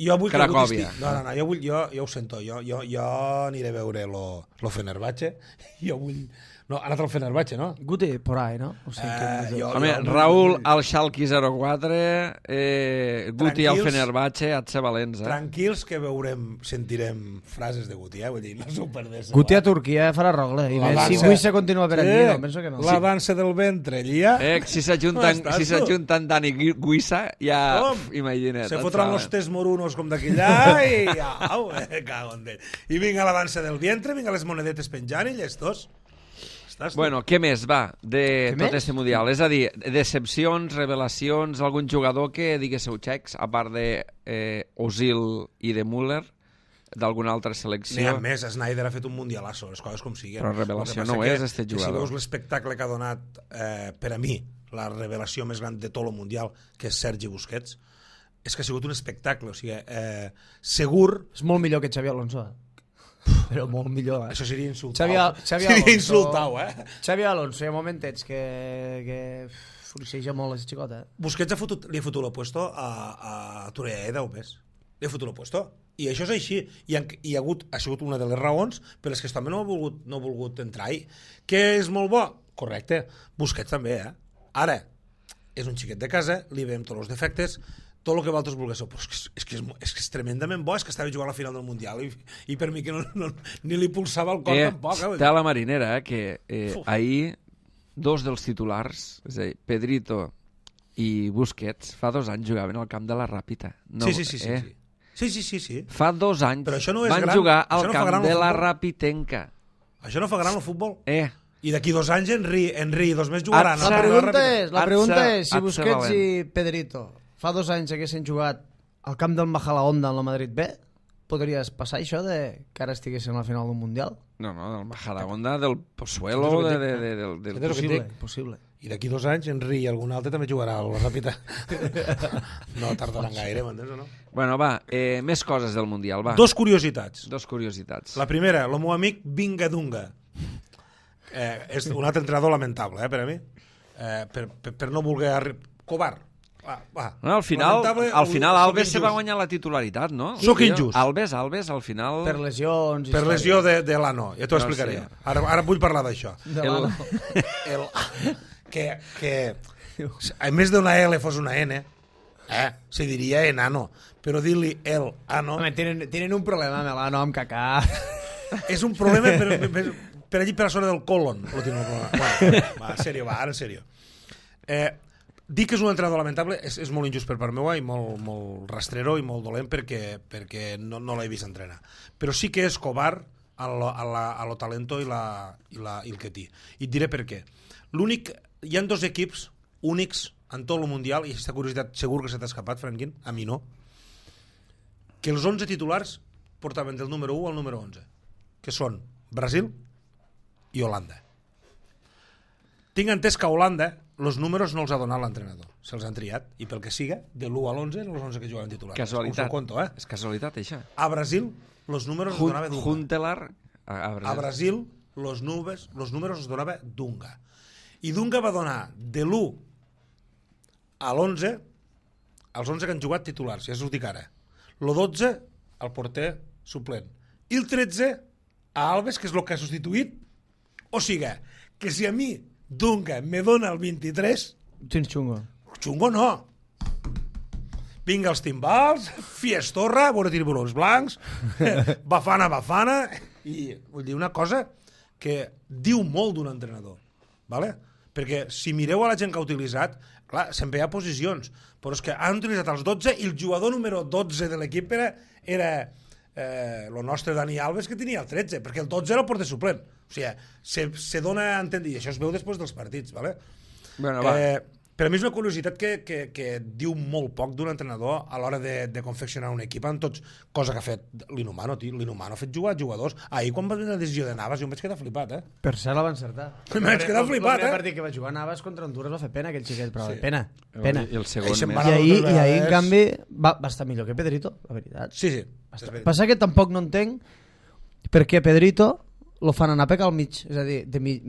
Jo vull que Guti Cracòvia. estigui... No, no, no, jo, vull, jo, jo ho sento. Jo, jo, jo aniré a veure lo, lo Fenerbahce. Jo vull, No, ha anat al Fenerbahce, no? Guti, por ahí, no? O sigui, Eh, que... jo- Home, Raúl al Schalke zero quatre, eh, Guti al Tranquils. Fenerbahce, Atse Valença. Tranquils que veurem, sentirem frases de Guti, eh? Vull dir, no s'ho perdés. Guti a Turquia farà rogle. I La més, si dansa- Guiça continua per allí, no, penso que no. La dansa del ventre, allà... Eh, si s'ajunten Com estàs, si s'ajunten Dani i Guissa, ja, Com? pf, imagina't. Se et fotran saben. los tes morunos com d'aquella i au, eh, cago en Déu. I vinga la dansa del vientre, vinga les monedetes penjant i llestos. Estàs tu? Bueno, què més, va, de Què tot més? este Mundial? És a dir, decepcions, revelacions, algun jugador que diguéssiu xecs, a part de eh, Ozil i de Müller, d'alguna altra N'hi ha selecció? més, Snyder ha fet un mundialasso, les coses com siguen. Però revelació El que passa no que- és, este que jugador. Si veus l'espectacle que ha donat, eh, per a mi, la revelació més gran de tot el mundial, que és Sergi Busquets, és que ha sigut un espectacle. O sigui, eh, segur... És molt millor que Xavi Alonso. Eh? Però molt millor, eh? Això seria insultau. Xavi, Al- Xavi seria Alonso... insultau, eh? Xavi Alonso, hi ha momentets que, que fluixeja molt la xicota. Eh? Busquets ha fotut, li ha fotut l'opuesto a, a Toreeda o més. Li ha fotut l'opuesto. I això és així. I, han, i ha, hagut, ha sigut una de les raons per les que també no ha volgut, no ha volgut entrar ahí. Que és molt bo? Correcte. Busquets també, eh? Ara, és un xiquet de casa, li veiem tots els defectes, tot el que vosaltres vulguéssiu, però és que és, és, que és, és que és tremendament bo, és que estava jugant a la final del Mundial i, i per mi que no, no, ni li pulsava el cor Eh, tampoc. Eh? està a la marinera, eh, que eh, Uf. ahir dos dels titulars, és a dir, Pedrito i Busquets, fa dos anys jugaven al camp de la Ràpita. No, sí, sí, sí, sí, eh? sí. Sí, sí, sí, sí. Fa dos anys Però això no és van gran, jugar això al no fa camp gran el de la futbol. Rapitenca. Això no fa gran el futbol. Eh, I d'aquí dos anys Henry, Henry dos més jugaran. Atsa- La no? pregunta és, la pregunta Atsa- és si Atsa Busquets valent. i Pedrito fa dos anys haguessin jugat al camp del Majadahonda en la Madrid B, podries passar això de que ara estiguessin a la final d'un Mundial? no, no, del Majadahonda, del Pozuelo, de, de, de, del, del, Això és el que Possible, dic. possible. I d'aquí dos anys Henry i algun altre també jugarà a la Ràpita. No tardaran gaire, m'entens o no? Bueno, va, eh, més coses del Mundial, va. Dos curiositats. Dos curiositats. La primera, el meu amic Vinga Dunga. Eh, és un altre entrenador lamentable, eh, per a mi. Eh, per, per, per no voler... Arri... Covard. Va, va. No, al final, Lamentable, al final soc Alves se va injust. guanyar la titularitat, no? Soc Tio, injust. Alves, Alves, al final... Per lesions... Per històries. lesió de, de l'ano, ja t'ho No, explicaré. sí. Ara, ara vull parlar d'això. De El- l'ano. El, que, que a més d'una L fos una N, eh, se diria enano, però dir-li el ano Home, tenen, tenen un problema amb l'ano, amb Kaká. és un problema per, per, per allí per la zona del colon. Lo tiene un problema. Bueno, va, en sèrio, va, ara en sèrio. Eh, dir que és un entrenador lamentable és, és molt injust per part meva i molt, molt rastrero i molt dolent perquè, perquè no, no l'he vist entrenar. Però sí que és covard a lo, a la, a lo talento i, la, i, la, i el que té. I et diré per què. L'únic... Hi ha dos equips únics en tot el Mundial, i aquesta curiositat segur que se t'ha escapat, Franquín, a mi no, que els onze titulars portaven del número u al número onze, que són Brasil i Holanda. Tinc entès que a Holanda els números no els ha donat l'entrenador, se'ls han triat, i pel que siga, de l'u a l'onze, els onze que jugaven titulars. Casualitat. Us ho conto, eh? És casualitat, això. A Brasil, els números els Jun, donava Dunga. Juntelar... A, a Brasil. A Brasil, els nubes, els números els donava Dunga. I Dunga va donar de l'u a l'onze als onze que han jugat titulars, ja us ho dic ara. El dotze al porter suplent. I el tretze a Alves, que és el que ha substituït. O sigui, que si a mi Dunga me dona el vint-i-tres, Tens xungo. xungo no. Vinga els timbals, fiestorra, veure tiburons blancs, bafana, bafana, i vull dir una cosa que diu molt d'un entrenador, ¿vale? Perquè si mireu a la gent que ha utilitzat, clar, sempre hi ha posicions, però és que han utilitzat els dotze i el jugador número dotze de l'equip era, era eh, el nostre Dani Alves, que tenia el tretze, perquè el dotze era el porter suplent. O sigui, se, se dona a entendre, i això es veu després dels partits, ¿vale? Bueno, va. Eh, per a mi és una curiositat que, que, que diu molt poc d'un entrenador a l'hora de, de confeccionar un equip en tots, cosa que ha fet l'Inhumano, tio. L'Inhumano ha fet jugar jugadors. Ahir, quan va venir la decisió de Navas, jo em vaig quedar flipat, eh? Per cert, la va encertar. Em vaig quedar flipat, El eh? partit que va jugar Navas contra Honduras va fer pena, aquell xiquet, però Sí. pena, pena. I el segon Ahí se'n més. va I ahir, Dos i ahir, en vegades. canvi, va, va estar millor que Pedrito, la veritat. Sí, sí. És veritat. Passa que tampoc no entenc per què Pedrito lo fan anar a pecar al mig, és a dir, de, mi,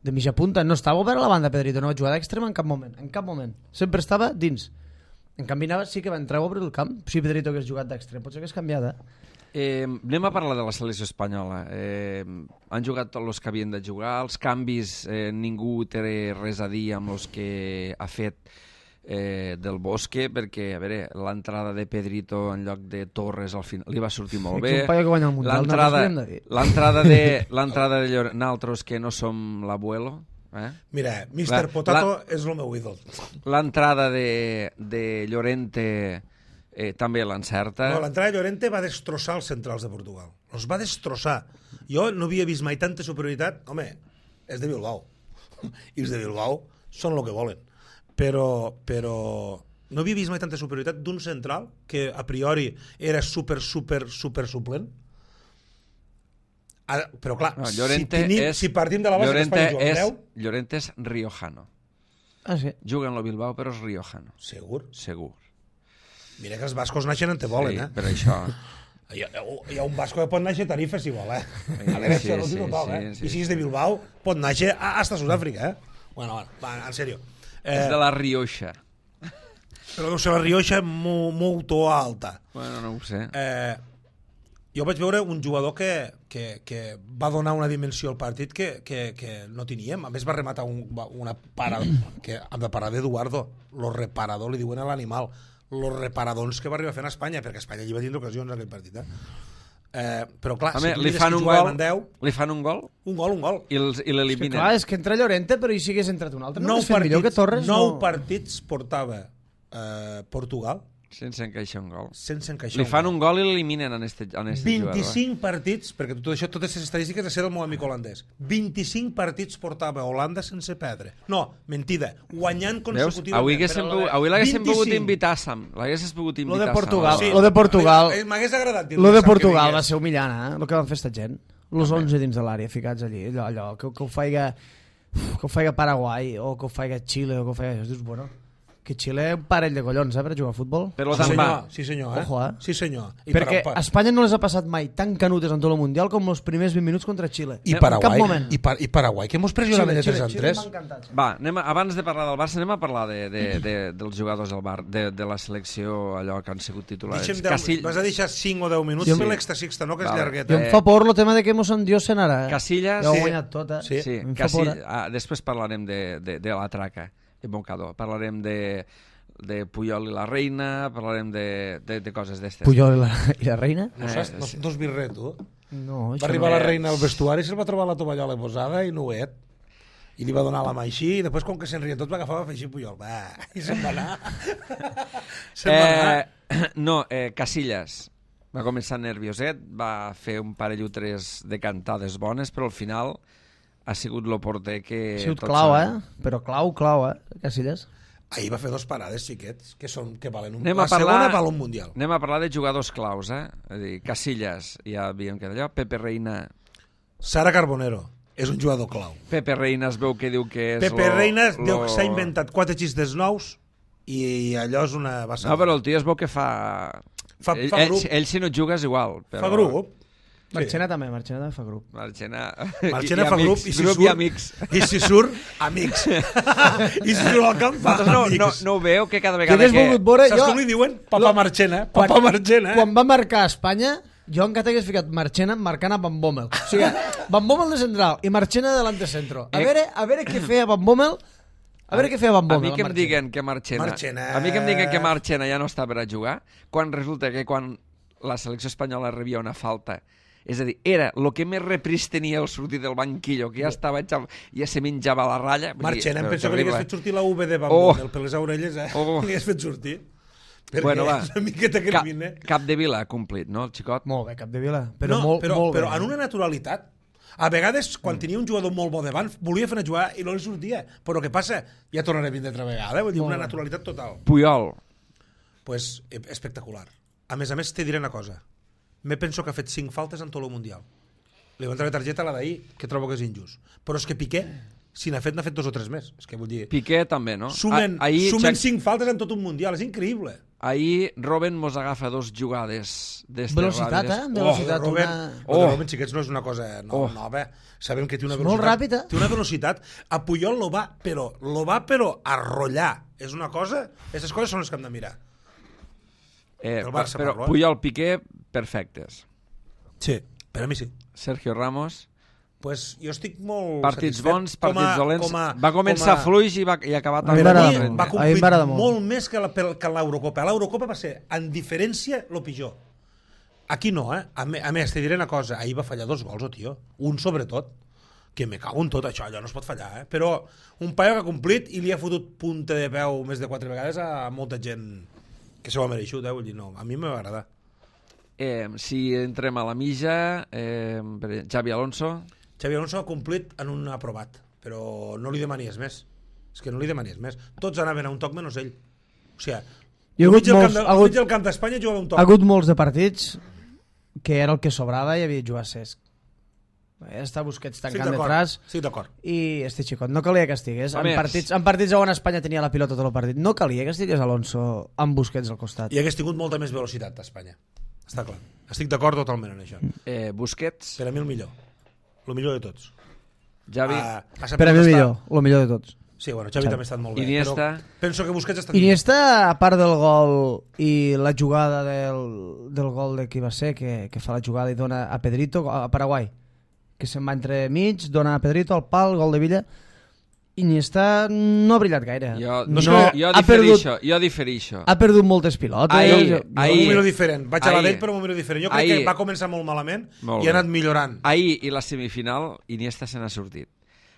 de mitja punta. No estava obert a la banda Pedrito, no va jugar d'extrema en cap moment, en cap moment. Sempre estava dins. En canvi, Navas sí que va entrar a obrir el camp. Si Pedrito hagués jugat d'extrem, potser hagués canviat, eh? Eh, anem a parlar de la selecció espanyola. Eh, han jugat tots els que havien de jugar. Els canvis, eh, ningú té res a dir amb els que ha fet eh, del Bosque, perquè, a veure, l'entrada de Pedrito en lloc de Torres al final li va sortir molt bé. L'entrada l'entrada de, l'entrada de Llorente, nosaltres que no som l'abuelo. Eh? Mira, mister La, Potato la, és el meu ídol. L'entrada de, de Llorente eh, també l'encerta. No, l'entrada de Llorente va destrossar els centrals de Portugal. Els va destrossar. Jo no havia vist mai tanta superioritat. Home, és de Bilbao. I els de Bilbao són el que volen. Però, però no havia vist mai tanta superioritat d'un central que a priori era super, super, super suplent. Ara, però clar, no, si, tenim, és, si partim de la base Llorente que Espanya és, deu... Llorente és riojano. Ah, sí? Juga en el Bilbao, però és riojano. Segur? Segur. Mira que els bascos naixen en te volen, sí, eh? per això... Hi ha, hi ha un basco que pot néixer a Tarifa si vol, eh? A veure, sí, sí, total, eh? Sí, sí. I si és de Bilbao, pot néixer hasta Sud-àfrica, eh? Bueno, va, en sèrio. Eh, és de la Rioja. Però deu ser la Rioja molt alta. Bueno, no ho sé. Eh, jo vaig veure un jugador que, que, que va donar una dimensió al partit que, que, que no teníem. A més va rematar un, una parada, que hem de parar d'Eduardo. Lo reparador, li diuen a l'animal. Los reparadons que va arribar fent a Espanya, perquè Espanya allí va tindre ocasions en aquell partit. Eh? Eh, però clar, Home, si li fan un gol, deu, li fan un gol? Un gol, un gol. I l'eliminen. És que clar, és que entra Llorente, però i si hagués entrat un altre, no nou hagués fet millor que Torres. Nou no... partits portava eh, Portugal sense encaixar un gol. Sense encaixar li fan un gol i l'eliminen en este, en este vint-i-cinc jugador. partits, perquè tot això, totes les estadístiques de ser del meu amic holandès. vint-i-cinc partits portava Holanda sense perdre. No, mentida, guanyant consecutivament. Avui, pogut, avui l'haguéssim pogut invitar, Sam. L'haguessis pogut invitar, lo de Portugal, Sam. Sí, lo de Portugal. M'hagués agradat dir-lo. Lo de Portugal va ser humillant, eh? El que van fer esta gent. Los onze dins de l'àrea, ficats allí. Allò, allò que, que ho faiga que ho faiga Paraguai, o que ho faiga Xile, o que ho faiga... Dius, bueno... Que Xile és un parell de collons, eh, per jugar a futbol. Però sí, senyor, sí, senyor, eh? Ojo, eh? Sí, senyor. I perquè per... a Espanya no les ha passat mai tan canutes en tot el Mundial com els primers vint minuts contra Xile. I Paraguai, i, par i Paraguai, que mos pressionaven de tres en tres. Va, anem a, abans de parlar del Barça, anem a parlar de, de, de, dels jugadors del Bar, de, de la selecció, allò que han sigut titulars. Deu, Casil... Vas a deixar cinc o deu minuts sí. per l'extra sixta, no? Que és vale. llargueta. I em fa por el tema de que mos endiosen ara. Casillas... Ja ho ha guanyat tot, eh? Sí, sí. Casil... ah, després parlarem de, de, de la traca, de Moncador. Parlarem de... de Puyol i la Reina, parlarem de, de, de coses d'estes. Puyol i la, i la Reina? No saps? No, no has vist res, tu? No, va arribar no la Reina al vestuari, se'l va trobar la tovallola posada i nuet. I li va donar la mà així, i després, com que se'n rien tot, va agafar, va fer així Puyol. Va, i se'n va anar. se'n va anar. Eh, no, eh, Casillas va començar nervioset, va fer un parell o tres de cantades bones, però al final ha sigut el porter que... Ha sigut clau, eh? Però clau, clau, eh? Casillas. Ahir va fer dos parades, xiquets, que són que valen un... Anem la parlar, segona val un mundial. Anem a parlar de jugadors claus, eh? És a dir, Casillas, ja havíem quedat allò, Pepe Reina... Sara Carbonero, és un jugador clau. Pepe Reina es veu que diu que és... Pepe lo, Reina lo... diu que s'ha inventat quatre xistes nous i allò és una bassa. No, però el tio es veu que fa... Fa, ell, fa grup. Ell, ell si no juga és igual. Però... Fa grup. Marchena sí. també, Marchena també fa grup. Marchena, Marchena I, fa i grup i si grup surt, i amics. I si surt, amics. I si surt al camp, fa no, amics. No, no ho veu que cada vegada que... Veure, saps jo... com li diuen? Papa Marchena. Papa quan, Marchena. Quan va marcar a Espanya, jo encara hagués ficat Marchena marcant a Van Bommel. O sigui, Van Bommel de central i Marchena de delante centro. A veure, a veure què feia Van Bommel. A veure què feia Van Bommel. A mi que em diguen que Marchena, Marchena... A mi que em diguen que Marchena ja no està per a jugar, quan resulta que quan la selecció espanyola rebia una falta, és a dir, era el que més reprís tenia el sortir del banquillo, que ja estava ja, ja se menjava la ratlla. Marchena, em penso que li hagués fet sortir la V de Van Bommel oh. per les orelles, eh? Oh. Li hagués fet sortir. Perquè bueno, va. és una miqueta que Cap, cap de Vila ha complit, no, el xicot? Molt bé, Cap de Vila. Però, no, molt, però, molt però bé. en una naturalitat. A vegades, quan mm. tenia un jugador molt bo davant, volia fer a jugar i no li sortia. Però què passa? Ja tornaré a vindre altra vegada. Vull dir, una naturalitat total. Puyol. Pues espectacular. A més a més, te diré una cosa. Me penso que ha fet cinc faltes en tot el Mundial. Li va entrar la targeta a la d'ahir, que trobo que és injust. Però és que Piqué, si n'ha fet, n'ha fet dos o tres més. És que vull dir... Piqué també, no? Sumen, ahir sumen Xac... cinc faltes en tot un Mundial, és increïble. ahir Robben mos agafa dos jugades d'estes Velocitat, ràpides. eh? Velocitat, oh, Robben, una... oh. Oh. Robben, xiquets, no és una cosa no, Oh. nova. Sabem que té una És velocitat. molt ràpida. Té una velocitat. A Puyol lo va, però, lo va, però a rotllar. És una cosa... Aquestes coses són les que hem de mirar. Eh, El Barça però parlo, eh? Puyol, Piqué, perfectes. Sí, per a mi sí. Sergio Ramos, Pues jo estic molt partits satisfet. bons, partits Com a- dolents. com a- Va començar com a- fluix i va i acabar A mi Per tan a m'agrada mi molt. va A mi complir m'agrada molt. molt més que la, que l'Eurocopa. A l'Eurocopa va ser, en diferència, lo pitjor. Aquí no, eh? A, me, a més, te diré una cosa. Ahir va fallar dos gols, oh, tio. Un sobretot. Que me cago en tot això, allò no es pot fallar, eh? Però un paio que ha complit i li ha fotut punta de peu més de quatre vegades a molta gent que se ho ha mereixut, eh? Vull dir, no, a mi m'ha agradat. Eh, si entrem a la mitja, eh, per- Xavi Alonso, Xavi Alonso ha complit en un aprovat, però no li demanies més. És que no li demanies més. Tots anaven a un toc menys ell. O sigui, Hi ha al mig hagut del molts- camp de- ha al hagut- mig del camp d'Espanya jugava un toc. Ha hagut molts de partits que era el que sobrava i havia de jugar Cesc. Ja està Busquets Estic tancant d'acord, detrás estic d'acord. i este xicot. No calia que estigués. A En més- partits, en partits on Espanya tenia la pilota tot el partit. No calia que estigués Alonso amb Busquets al costat. I hagués tingut molta més velocitat a Espanya. Està clar. Estic d'acord totalment en això. eh, Busquets, Per a mi el millor. El millor de tots. Xavi, Ah, ha sabut Per a mi el estar- millor, el millor de tots. Sí, bueno, Xavi Xavi. també ha estat molt bé. Iniesta. Però penso que Busquets ha estat Iniesta, a part del gol i la jugada del, del gol de qui va ser, que, que fa la jugada i dona a Pedrito, a Paraguai, que se'n va entre mig, dona a Pedrito al pal, gol de Villa. Iniesta no ha brillat gaire. jo, no, jo, jo ha, perdut, diferixo, jo diferixo. ha perdut moltes pilotes. Ahir- jo- Jo ahir- m'ho miro diferent. Vaig a la ahir- d'ell, però m'ho miro diferent. Jo crec ahir- que va començar molt malament Molt i ha bé. anat millorant. Ahir i la semifinal, Iniesta se n'ha sortit.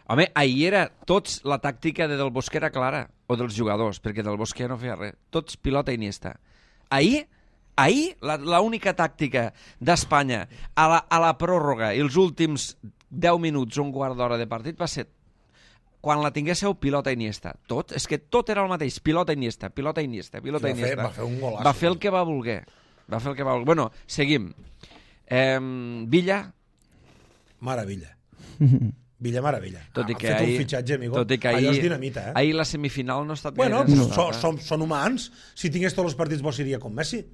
Home, ahir era tots la tàctica de Del Bosque era clara, o dels jugadors, perquè Del Bosque no feia res. Tots pilota Iniesta. Ahir, ahir la, la única tàctica d'Espanya a, la, a la pròrroga i els últims deu minuts, un quart d'hora de partit, va ser quan la tinguéssiu, pilota Iniesta. Tot, és que tot era el mateix, pilota Iniesta, pilota Iniesta, pilota I va fer- Iniesta. va fer un golaç. Va fer el que va voler. Va fer el que va voler. Bueno, seguim. Eh, Villa, Maravilla. Villa Maravilla. tot i Ha que fet ahir, un fitxatge, amigo. tot i que Allò ahir, és dinamita, eh? ahir la semifinal no ha estat Bueno, gaire no. encertada. són, són, són humans. Si tingués tots els partits bo seria com Messi.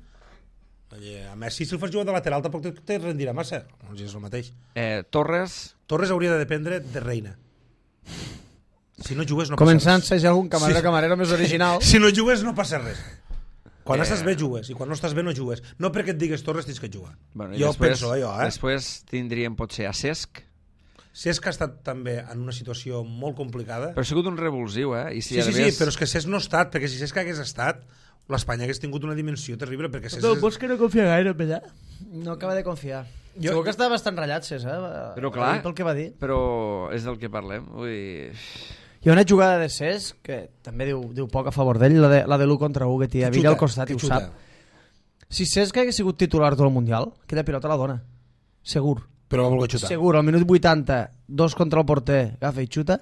Oye, a Messi, si el fas jugar de lateral, tampoc te, te rendirà massa. Doncs és el mateix. Eh, Torres, Torres hauria de dependre de Reina. Si no jugues no Començant passa a res. ser algun camarero Sí. camarero més original. Si no jugues no passa res. Quan Eh. estàs bé jugues i quan no estàs bé no jugues. No perquè et digues Torres tens que jugar. bueno, i jo després, penso, eh, jo, eh? després tindríem potser a Cesc, Cesc ha estat també en una situació molt complicada. però ha sigut un revulsiu, eh? I si sí, sí, sí, més... però és que Cesc no ha estat, perquè si Cesc hagués estat, l'Espanya hagués tingut una dimensió terrible, perquè Cesc... Del Bosque no confia gaire en ella. No acaba de confiar. Jo- Segur que està bastant ratllat, Cesc, eh? Però clar. Pel que va dir. Però és del que parlem. Vull dir... Hi ha una jugada de Cesc que també diu, diu poc a favor d'ell, la de, la de l'u contra u, que té a Villa al costat i ho sap. Si Cesc hagués sigut titular tot el Mundial, aquella pilota la dona. Segur. Però va voler xutar. Segur, al minut vuitanta, dos contra el porter, agafa i xuta,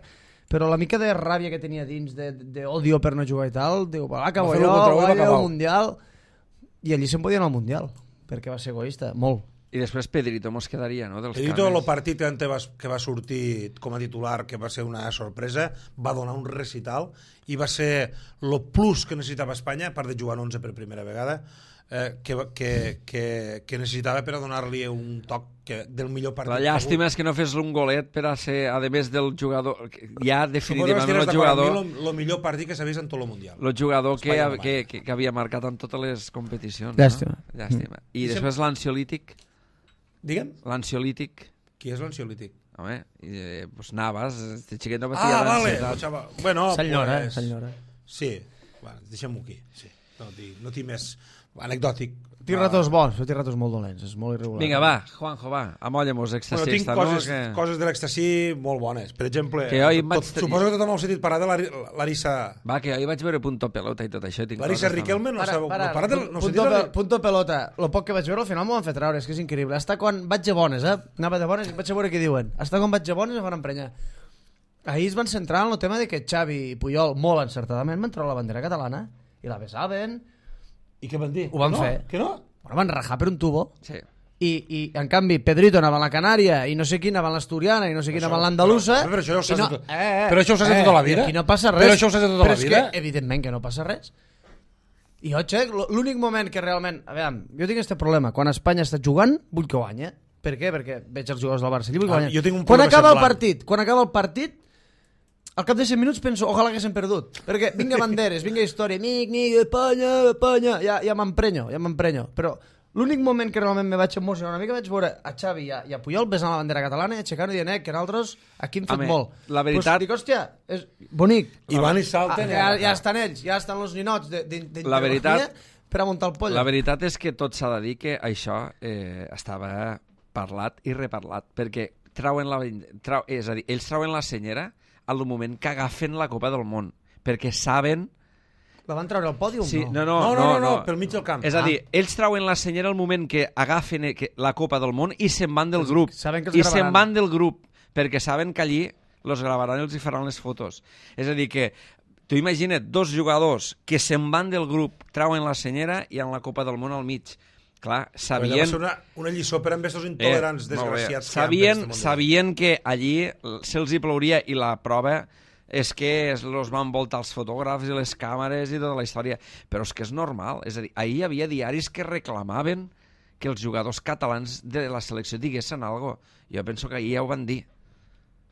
però la mica de ràbia que tenia dins, d'odio per no jugar i tal, diu, va, acabo Va fer-lo jo, contra u i va vaig acabar. al Mundial, i allí se'n podia anar al Mundial, perquè va ser egoista, molt. I després Pedrito mos quedaria, no? Dels He dit cames. el partit que va, que va sortir com a titular, que va ser una sorpresa, va donar un recital i va ser el plus que necessitava Espanya, a part de jugar en onze per primera vegada, eh, que, que, que, que necessitava per a donar-li un toc que, del millor partit. La llàstima és que no fes un golet per a ser, a més del jugador, ja Suposo que definitivament estaràs el d'acord amb jugador, mi, el millor partit que s'ha vist en tot el Mundial. el jugador que, Espanya, que, que, que havia marcat en totes les competicions. Llàstima. No? Llàstima. I després l'ansiolític, Digue'm, l'ansiolític, qui és l'ansiolític? home, i, eh, pues Navas, este xiquet no Ah, patia vale. l'ansietat. Xaval. Bueno, Senyora, pues, senyora. Sí, bueno, deixem-ho aquí. Sí. No, tinc, no tinc més anecdòtic. Té ratos bons, però té ratos molt dolents, és molt irregular. Vinga, va, Juanjo, va, amolla-mos Bueno, extasi tinc esta, coses, no? Que... coses de l'èxtasi molt bones. Per exemple, Que jo ahir tot, vaig tot, tenir- suposo que tothom heu sentit parlar de l'Ari- l'Arissa... Va, que ahir vaig veure Punto Pelota i tot això. i Tinc L'Arissa coses, Riquelme no Para, sabeu... para, no, para de, no punto, sentit pe, la- punto pelota. Lo poc que vaig veure al final m'ho van fer treure, és que és increïble. Hasta quan vaig a bones, eh? Anava de bones i vaig a veure què diuen. Hasta quan vaig a bones em van emprenyar. Ahir es van centrar en el tema de que Xavi i Puyol, molt encertadament, van treure la bandera catalana i la besaven. I què van dir? Ho van Que no? fer. Que no? Bueno, van rajar per un tubo. Sí. I, i en canvi Pedrito anava a la Canària i no sé quin anava a l'Asturiana i no sé quin anava a l'Andalusa. Però- però això ja ho saps i no, de tot- eh, eh, però això ho saps de eh, tota la i vida. Aquí no passa res. Però això ho saps de tota però la és vida. Que, evidentment que no passa res. I jo, Xec, l'únic moment que realment... A veure, jo tinc aquest problema. Quan Espanya està jugant, vull que guanya. Per què? Perquè veig els jugadors del Barça i vull que guanya. Ah, jo tinc un quan problema acaba el semblant. partit, quan acaba el partit, al cap de cent minuts penso, ojalà haguéssim perdut. Perquè vinga banderes, vinga història, nic, nic, Espanya, Espanya, ja, ja m'emprenyo, ja m'emprenyo. Però l'únic moment que realment me vaig emocionar una mica vaig veure a Xavi i a, i a Puyol besant la bandera catalana i aixecant i dient eh, que nosaltres aquí hem fet Home, molt. la veritat- Pues, dic, hòstia, és bonic. I van i salten. Ah, ja, ja estan ells, ja estan els ninots de, de, de La veritat- per a muntar el pollo. La veritat és que tot s'ha de dir que això eh, estava parlat i reparlat, perquè trauen la, trau, és a dir, ells trauen la senyera al moment que agafen la Copa del Món, perquè saben... La van treure al pòdium? Sí, no. no, No, no, no, no, no, pel mig del camp. És a dir, ells trauen la senyera al moment que agafen eh, que- la Copa del Món i se'n van del grup. Saben que els I gravaran. se'n van del grup, perquè saben que allí els gravaran i els hi faran les fotos. És a dir que, tu imagina't, dos jugadors que se'n van del grup, trauen la senyera i en la Copa del Món al mig. Clar, sabien... Va ser una, una lliçó per a aquests intolerants Eh, molt bé. desgraciats. Sabien, sabien que allí se'ls hi plouria i la prova és que es los van envoltar els fotògrafs i les càmeres i tota la història. Però és que és normal. És a dir, ahir hi havia diaris que reclamaven que els jugadors catalans de la selecció diguessin alguna cosa. Jo penso que ahir ja ho van dir.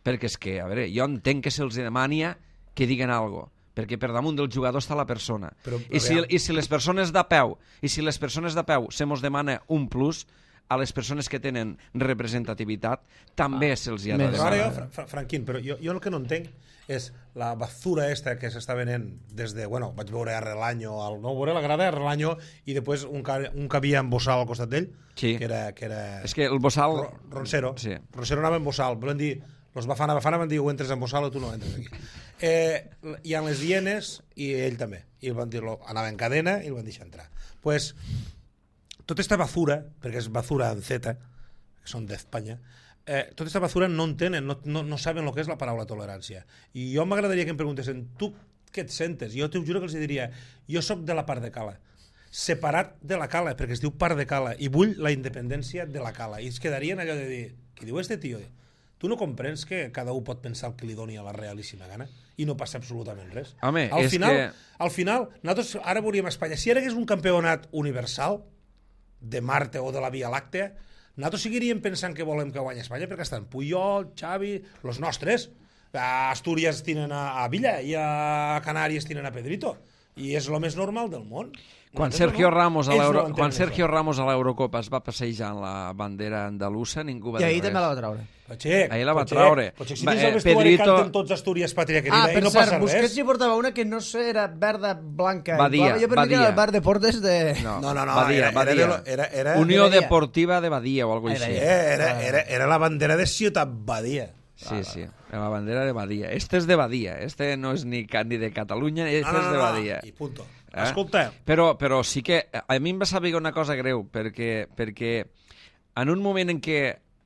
Perquè és que, a veure, jo entenc que se'ls demania que diguen alguna cosa, perquè per damunt del jugador està la persona. Però, I, si, aviam. I si les persones de peu i si les persones de peu se mos demana un plus, a les persones que tenen representativitat també ah, se'ls hi ha de més. Però ara demanar. jo, Fra- Fra- Franquín, però jo, jo el que no entenc és la basura esta que s'està venent des de, bueno, vaig veure a Relaño, al, no veure la grada de Relaño i després un que, un que havia en Bossal al costat d'ell, Sí. que era, que era És que el Bossal... Ro- Roncero. Sí. Roncero anava en Bossal, volen dir, los Bafana Bafana van dir, o entres en Bossal o tu no entres aquí. Eh, hi ha les hienes i ell també. I el van dir, anava en cadena i el van deixar entrar. Pues, tota esta basura, perquè és basura en Z, que són d'Espanya, eh, tota esta basura no entenen, no, no, no saben el que és la paraula tolerància. I jo m'agradaria que em preguntessin, tu què et sentes? Jo t'ho juro que els diria, jo sóc de la part de Cala, separat de la Cala, perquè es diu part de Cala, i vull la independència de la Cala. I es quedarien allò de dir, què diu este tio? Tu no comprens que cada un pot pensar el que li doni a la realíssima gana i no passa absolutament res? Home, al és final, que... al final, nosaltres ara veuríem Espanya. Si ara hagués un campionat universal de Marte o de la Via Làctea, nosaltres seguiríem pensant que volem que guanyi Espanya perquè estan Puyol, Xavi, los nostres. A Astúries tenen a, a Villa i a Canàries tenen a Pedrito. I és el més normal del món. Quan Nosaltres Sergio, no. Ramos a Ells no l'Euro... entenen Quan això. Sergio Ramos a l'Eurocopa es va passejar en la bandera andalusa, ningú va I dir ahir res. també la va treure. Potxec, Ahir la va Potxec, traure. Potxec, si Va, dins eh, el vestuari Pedrito- canten tots Astúries, Pàtria Querida, Ah, i per no cert, passa Busquets res. hi portava una que no sé, era verda, blanca Badia, i blava. Jo per mi que era Badia. el bar de portes de... No, No, no, no, Badia, era, Badia. era, era, era, Unió Badia. Deportiva de Badia o alguna Ai, cosa així. Badia. Eh, era, era, era la bandera de Ciutat Badia. Sí, sí, la bandera de Badia. Este és de Badia, este no és ni, ca- ni de Catalunya, este No, no, és no, de no, Badia. I punto. Eh? Escolta, Però, però sí que a mi em va saber una cosa greu, perquè, perquè en un moment en què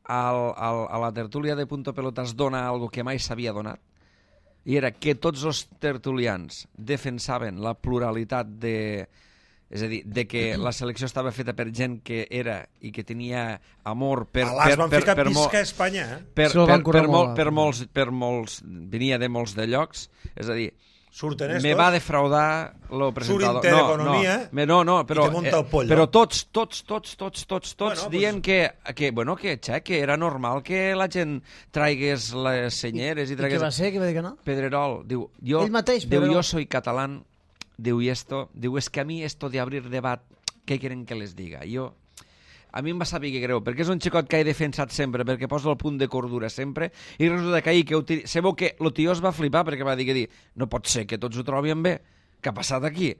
al, al, a la tertúlia de Punto Pelota es dona algo que mai s'havia donat, i era que tots els tertulians defensaven la pluralitat de... És a dir, de que la selecció estava feta per gent que era i que tenia amor per... Alà, es per, van per, ficar per, mo- pisca a Espanya, eh? per, Se lo per, van currar per, mol, molt. per, molts, per molts... Venia de molts de llocs, és a dir, Surten me estos. va defraudar lo presentador. Surt No, Intereconomia no, me- no, no, però, i te monta el pollo. però tots, tots, tots, tots, tots, tots Bueno, dient que, que, bueno, que, che, que era normal que la gent traigués les senyeres i I què traigués... va ser? Què va dir que no? Pedrerol, diu, jo, Ell mateix, diu, Pedrerol. yo soy catalán, diu, y esto, diu, es que a mí esto de abrir debat, què quieren que les diga? Jo, a mi em va saber que greu, perquè és un xicot que he defensat sempre, perquè posa el punt de cordura sempre, i resulta que ahir que util... sabeu que el tio es va flipar perquè va dir que dir, no pot ser que tots ho trobin bé, què ha passat aquí?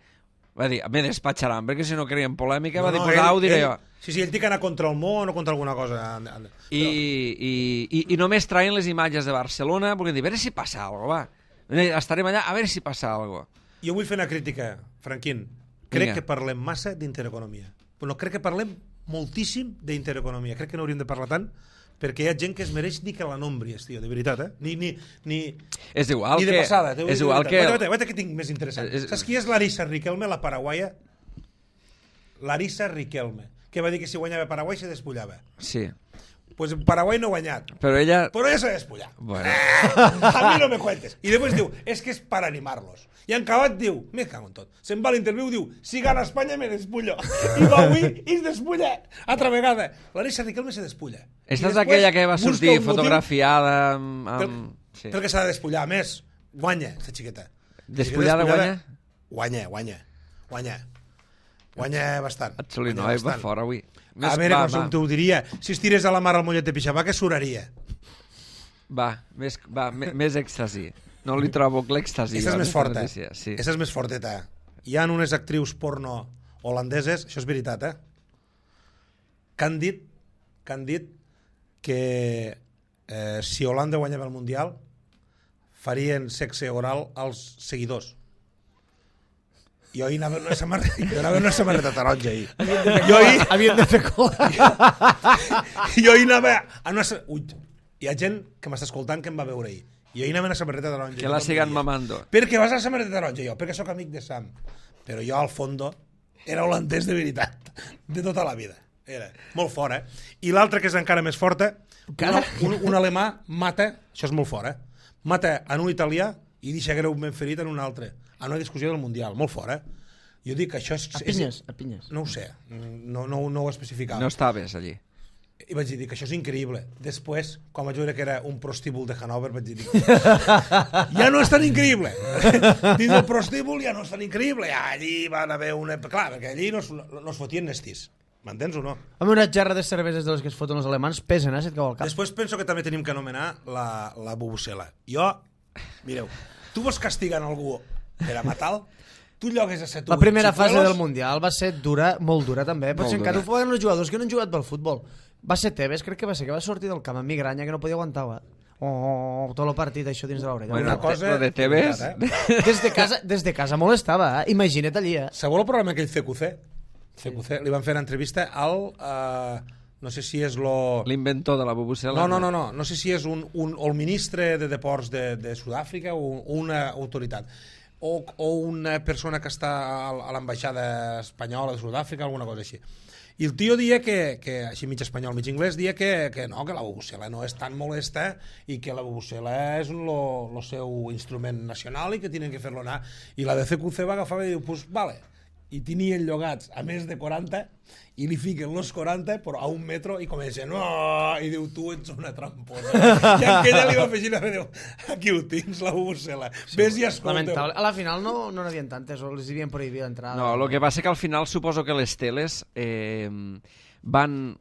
Va dir, me despatxaran, perquè si no creien polèmica, va dir, pues ah, ho diré jo. Sí, sí, ell té que anar contra el món o contra alguna cosa. I, i, i, i només traien les imatges de Barcelona, perquè dir, a veure si passa alguna cosa, va. Estarem allà, a veure si passa alguna cosa. Jo vull fer una crítica, Franquín. Crec Vinga. que parlem massa d'intereconomia. Però crec que parlem moltíssim d'intereconomia. Crec que no hauríem de parlar tant, perquè hi ha gent que es mereix ni que la nombris, tio, de veritat, eh? Ni, ni, ni, És igual ni de que... passada. t'ho És dic de igual veritat. que... Guaita, guaita, guaita, que tinc més interessant. És- Saps qui és Larissa Riquelme, la paraguaia? Larissa Riquelme, que va dir que si guanyava Paraguai se despullava. Sí. pues Paraguai no ha guanyat. Però ella... Però ella s'ha de despullar. Bueno. A mi no me cuentes. I després diu, és que és per animar-los. I en acabat diu, me cago en tot. Se'n va a l'interviu, diu, si gana Espanya me despullo. I va avui i es despulla. Altra vegada. L'Arecha Riquelme se despulla. Esta és aquella que va sortir fotografiada amb... amb... Sí. Pel que s'ha de despullar. A més, guanya, esta xiqueta. Despullada guanya? Guanya, guanya. Guanya. Guanya bastant. Et soli, no, va fora avui. Més, a veure, com t'ho diria, si es tirés a la mar al mollet de pixabà, que suraria. Va, més, va, més èxtasi. No li trobo l'èxtasi. Aquesta és més forta. Sí. Aquesta és més forteta. Hi ha unes actrius porno holandeses, això és veritat, eh? Que han dit que, han dit que eh, si Holanda guanyava el Mundial farien sexe oral als seguidors. Jo hi anava una samarreta, jo anava una samarreta taronja ahir. Jo hi... Havien de fer cola. Jo hi anava... A una... Ui, hi ha gent que m'està escoltant que em va veure ahir. Jo hi anava una samarreta taronja. Que la sigan mamando. Perquè vas a la samarreta taronja jo, perquè sóc amic de Sam. Però jo, al fondo, era holandès de veritat. De tota la vida. Era molt fort, eh? I l'altra, que és encara més forta, un, un, un alemà mata, això és molt fort, eh? Mata en un italià i deixa greument ferit en un altre. En una discussió del Mundial. Molt fort, eh? Jo dic que això és... A pinyes, a pinyes. No ho sé. No, no, no ho especificava. No estaves allí. I vaig dir que això és increïble. Després, quan vaig veure que era un prostíbul de Hannover, vaig dir ja no és tan increïble. Dins del prostíbul ja no és tan increïble. Allí van haver una... Clar, perquè allí no es, no es fotien nestis. M'entens o no? Amb una gerra de cerveses de les que es foten els alemans pesen, eh, si et cau al cap. Després penso que també tenim que anomenar la, la bubucela. Jo, mireu, tu vols castigar algú per a matar-lo? Tu llogues a ser tu. La primera fase del Mundial va ser dura, molt dura també, però si encara ho feien els jugadors que no han jugat pel futbol. Va ser Tevez, crec que va ser, que va sortir del camp amb migranya, que no podia aguantar. Oh, tot el partit, això dins de l'orella. Bueno, una cosa... Lo de Tevez... Des de casa, des de casa molestava, eh? Imagina't allí, eh? Sabeu el programa aquell C Q C? C Q C, li van fer una entrevista al... Uh, no sé si és lo... L'inventor de la bubucela. No, no, no, no, no sé si és un, un, el ministre de Deports de, de Sud-àfrica o una autoritat. O, o una persona que està a l'ambaixada espanyola de Sud-àfrica, alguna cosa així. I el tio dia que, que així mig espanyol, mig anglès, dia que, que no, que la bubucela no és tan molesta i que la bubucela és el seu instrument nacional i que tenen que fer-lo anar. I la de C Q C va agafar i diu, pues vale. I tenien llogats a més de quaranta i li fiquen los quaranta però a un metro i comença no, i diu, tu ets una tramposa. I aquella li va afegir i diu, aquí ho tens, la bubucela, sí, ves i escolteu. Lamentable. A la final no no n'havien tantes, o les havien prohibit l'entrada. No, el que passa que al final suposo que les teles eh, van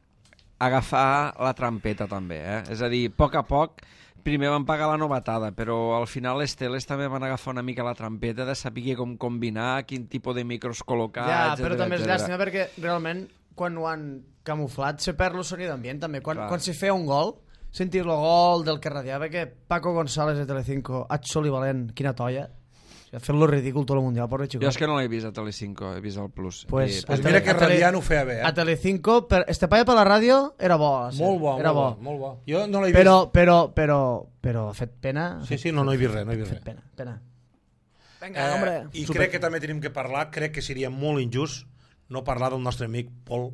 agafar la trampeta també, eh? És a dir, a poc a poc primer van pagar la novetada, però al final les teles també van agafar una mica la trampeta de saber com combinar, quin tipus de micros col·locar, ja, etcètera, però també és etcètera. llàstima perquè realment quan ho han camuflat se perd el sonido d'ambient també. Quan, Clar. quan se feia un gol, sentir el gol del que radiava, que Paco González de Telecinco, Atsoli Valent, quina toia, fent-lo ridícul tot el Mundial, pobre xicot. Jo és que no l'he vist a Telecinco, he vist el Plus. Pues, I, Pues a mira tele, que a tele, Radiant ho feia bé, eh? A Telecinco, per, este paia per la ràdio era bo. Sí, molt bo, era molt bo, bo. molt bo. Jo no l'he vist. Però, però, però, però ha fet pena. Sí, sí, no, no he vist res, no he Ha vist fet res. pena, pena. Vinga, Eh, hombre. I Super. crec que també tenim que parlar, crec que seria molt injust no parlar del nostre amic Pol.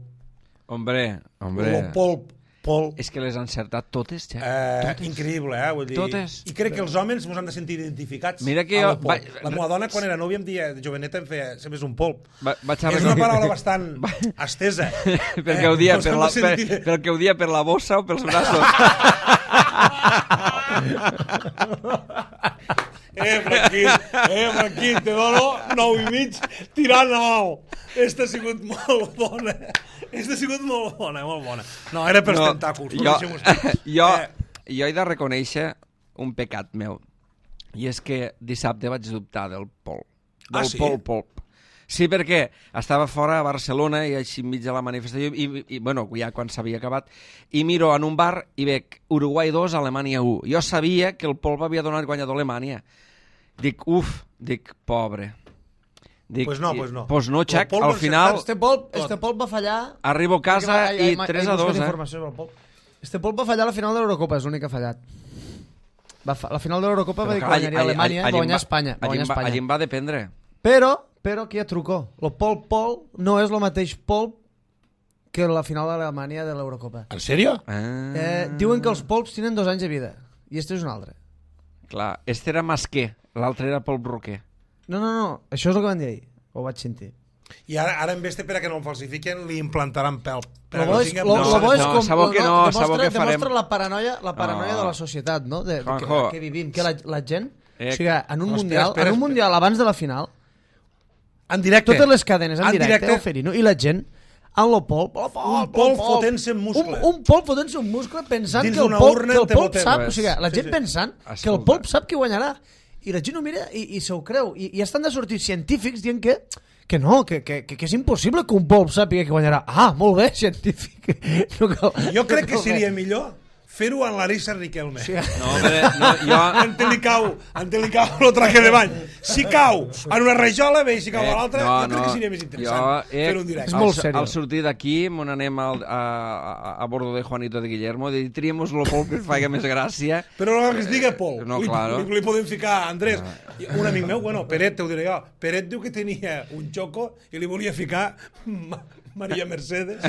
Hombre, hombre. Lo Pol, Pol. És que les han encertat totes, ja. Eh, totes. increïble, eh? Vull dir, Totes. I crec que els homes ens han de sentir identificats. Mira que amb jo- el Pol. va- La meva dona, quan era nòvia, em dia, de joveneta, em feia sempre és un polp. Va, vaig a És una paraula bastant estesa. perquè ho dia ens per hem la, de per, sentir- pel que ho dia per la bossa o pels braços. Eh, Franquín, eh, Franquín, te dono nou i mig tirant alt. Esta ha sigut molt bona. Esta ha sigut molt bona, molt bona. No, era per No, els tentàculs. jo, jo, jo he de reconèixer un pecat meu. I és que dissabte vaig dubtar del Pol. Del Ah, sí? Pol Polp. Sí, perquè estava fora a Barcelona i així enmig de la manifestació i, i, i bueno, ja quan s'havia acabat i miro en un bar i veig Uruguai dos, Alemanya u. Jo sabia que el Polp havia donat guanyador a Alemanya. Dic, uf, dic, pobre. Dic, Pues no, pues no. Pues no, Xac, El Polp al va final Este Polp, este Polp va fallar... arribo a casa Ai, ai, i ai, tres ai, a dos, buscat eh? informació sobre el Polp. Este Polp va fallar a la final de l'Eurocopa, és l'únic que ha fallat. Va fa... La final de l'Eurocopa va dir que clar, guanyaria allí- Alemanya, allí va em guanyar va- Espanya. Va allí guanyar em va- Espanya. allí em va dependre. Però, però aquí hi ha trucó. El Polp Polp no és el mateix Polp que la final de l'Alemanya de l'Eurocopa. En sèrio? Ah. Eh, diuen que els polps tenen dos anys de vida, i este és un altre. Clar, este era Masquer, l'altre era Polp Roquer. No, no, no, això és el que van dir ahir, ho vaig sentir. I ara, ara en vez de per a que no el falsifiquen, li implantaran pèl. Lo bo és, lo, lo bo és no, com, sabeu que no, demostra, sabeu que farem. demostra la paranoia, la paranoia No. de la societat, no? De, que, Juanjo. que vivim, que la, la gent... Eh, o sigui, en un, no, espera, mundial, espera, en un espera. mundial abans de la final, En directe. totes les cadenes en, En directe, directe. oferint-ho, i la gent en lo polp, oh, polp, Un polp fotent-se en muscle. Un, un polp fotent-se un muscle pensant Dins que el d'una polp, urna que el en té polp botet. sap, o sigui, la Sí, gent sí. pensant que el Escolta. polp sap qui guanyarà. I la gent ho mira i, i se ho creu. I, i estan de sortir científics dient que que no, que, que, que, que és impossible que un polp sàpiga que guanyarà. Ah, molt bé, científic. No cal, Jo crec no que cal seria res. millor fer-ho en Larissa Riquelme. Sí. No, però, no, jo... En te li cau, en te li cau el traje de bany. Si cau en una rajola, bé, i si cau a l'altra, jo crec que seria més interessant jo, eh, fer un directe. És molt al, seriós. al sortir d'aquí, on anem al, a, a, a bordo de Juanito de Guillermo, de tríemos lo polp que ens faci més gràcia. Però no que es diga Pol. No, li, claro. li, li podem ficar Andrés. Un amic meu, bueno, Peret, te ho diré jo. Peret diu que tenia un xoco i li volia ficar Ma Maria Mercedes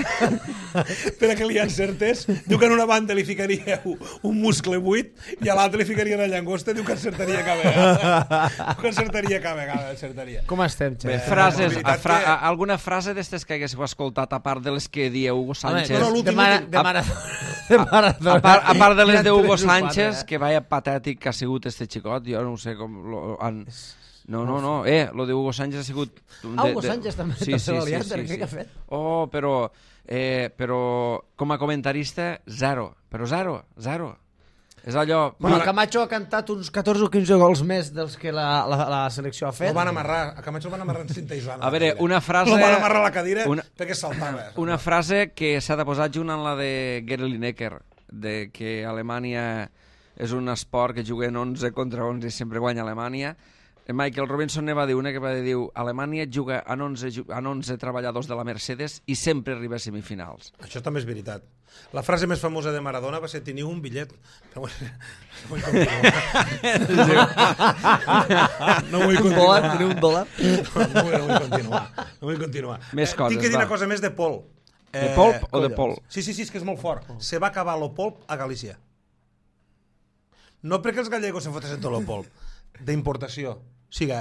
per a que li encertés. Diu que en una banda li ficaria un, un muscle buit i a l'altra li ficaria una llagosta. Diu que encertaria cada vegada. Diu que encertaria cada vegada, encertaria. Com estem, Bé, Xavi? frases, la veritat fra, que- alguna frase d'estes que haguéssiu escoltat, a part de les que dia Hugo Sánchez... no, de, l'últim, mara, l'últim. de, mara, de Maradona. A part, a part de les Hi ha de Hugo tres o quatre, Sánchez, eh? que vaya patètic que ha sigut este xicot, jo no sé com... Lo, han... No, no, no, eh, lo de Hugo Sánchez ha sigut... De, Ah, Hugo Sánchez també, també l'ha liat, per què que ha fet? Oh, però, eh, però com a comentarista, zero, però zero, zero. És allò... Bueno, el Camacho ha cantat uns catorze o quinze gols més dels que la, la, la selecció ha fet. El van amarrar, a Camacho el van amarrar en cinta islàmica. A veure, una frase... El van amarrar a la cadira una- perquè saltava. Una frase que s'ha de posar junt amb la de Gary Lineker, de que Alemanya és un esport que juguen onze contra onze i sempre guanya Alemanya. Michael Robinson ne va dir una que va dir Alemanya juga en onze, en onze treballadors de la Mercedes i sempre arriba a semifinals. Això també és veritat. La frase més famosa de Maradona va ser teniu un bitllet. No vull, no vull continuar. No vull Un continuar. dòlar, teniu un dòlar. No vull, no vull continuar. No vull continuar. Més coses, Tinc que dir va. una cosa més de Pol. De polp o de pol? Sí, sí, sí, és que és molt fort. Se va acabar lo polp a Galícia. No perquè els gallegos se fotessin tot lo polp, d'importació. O sigui,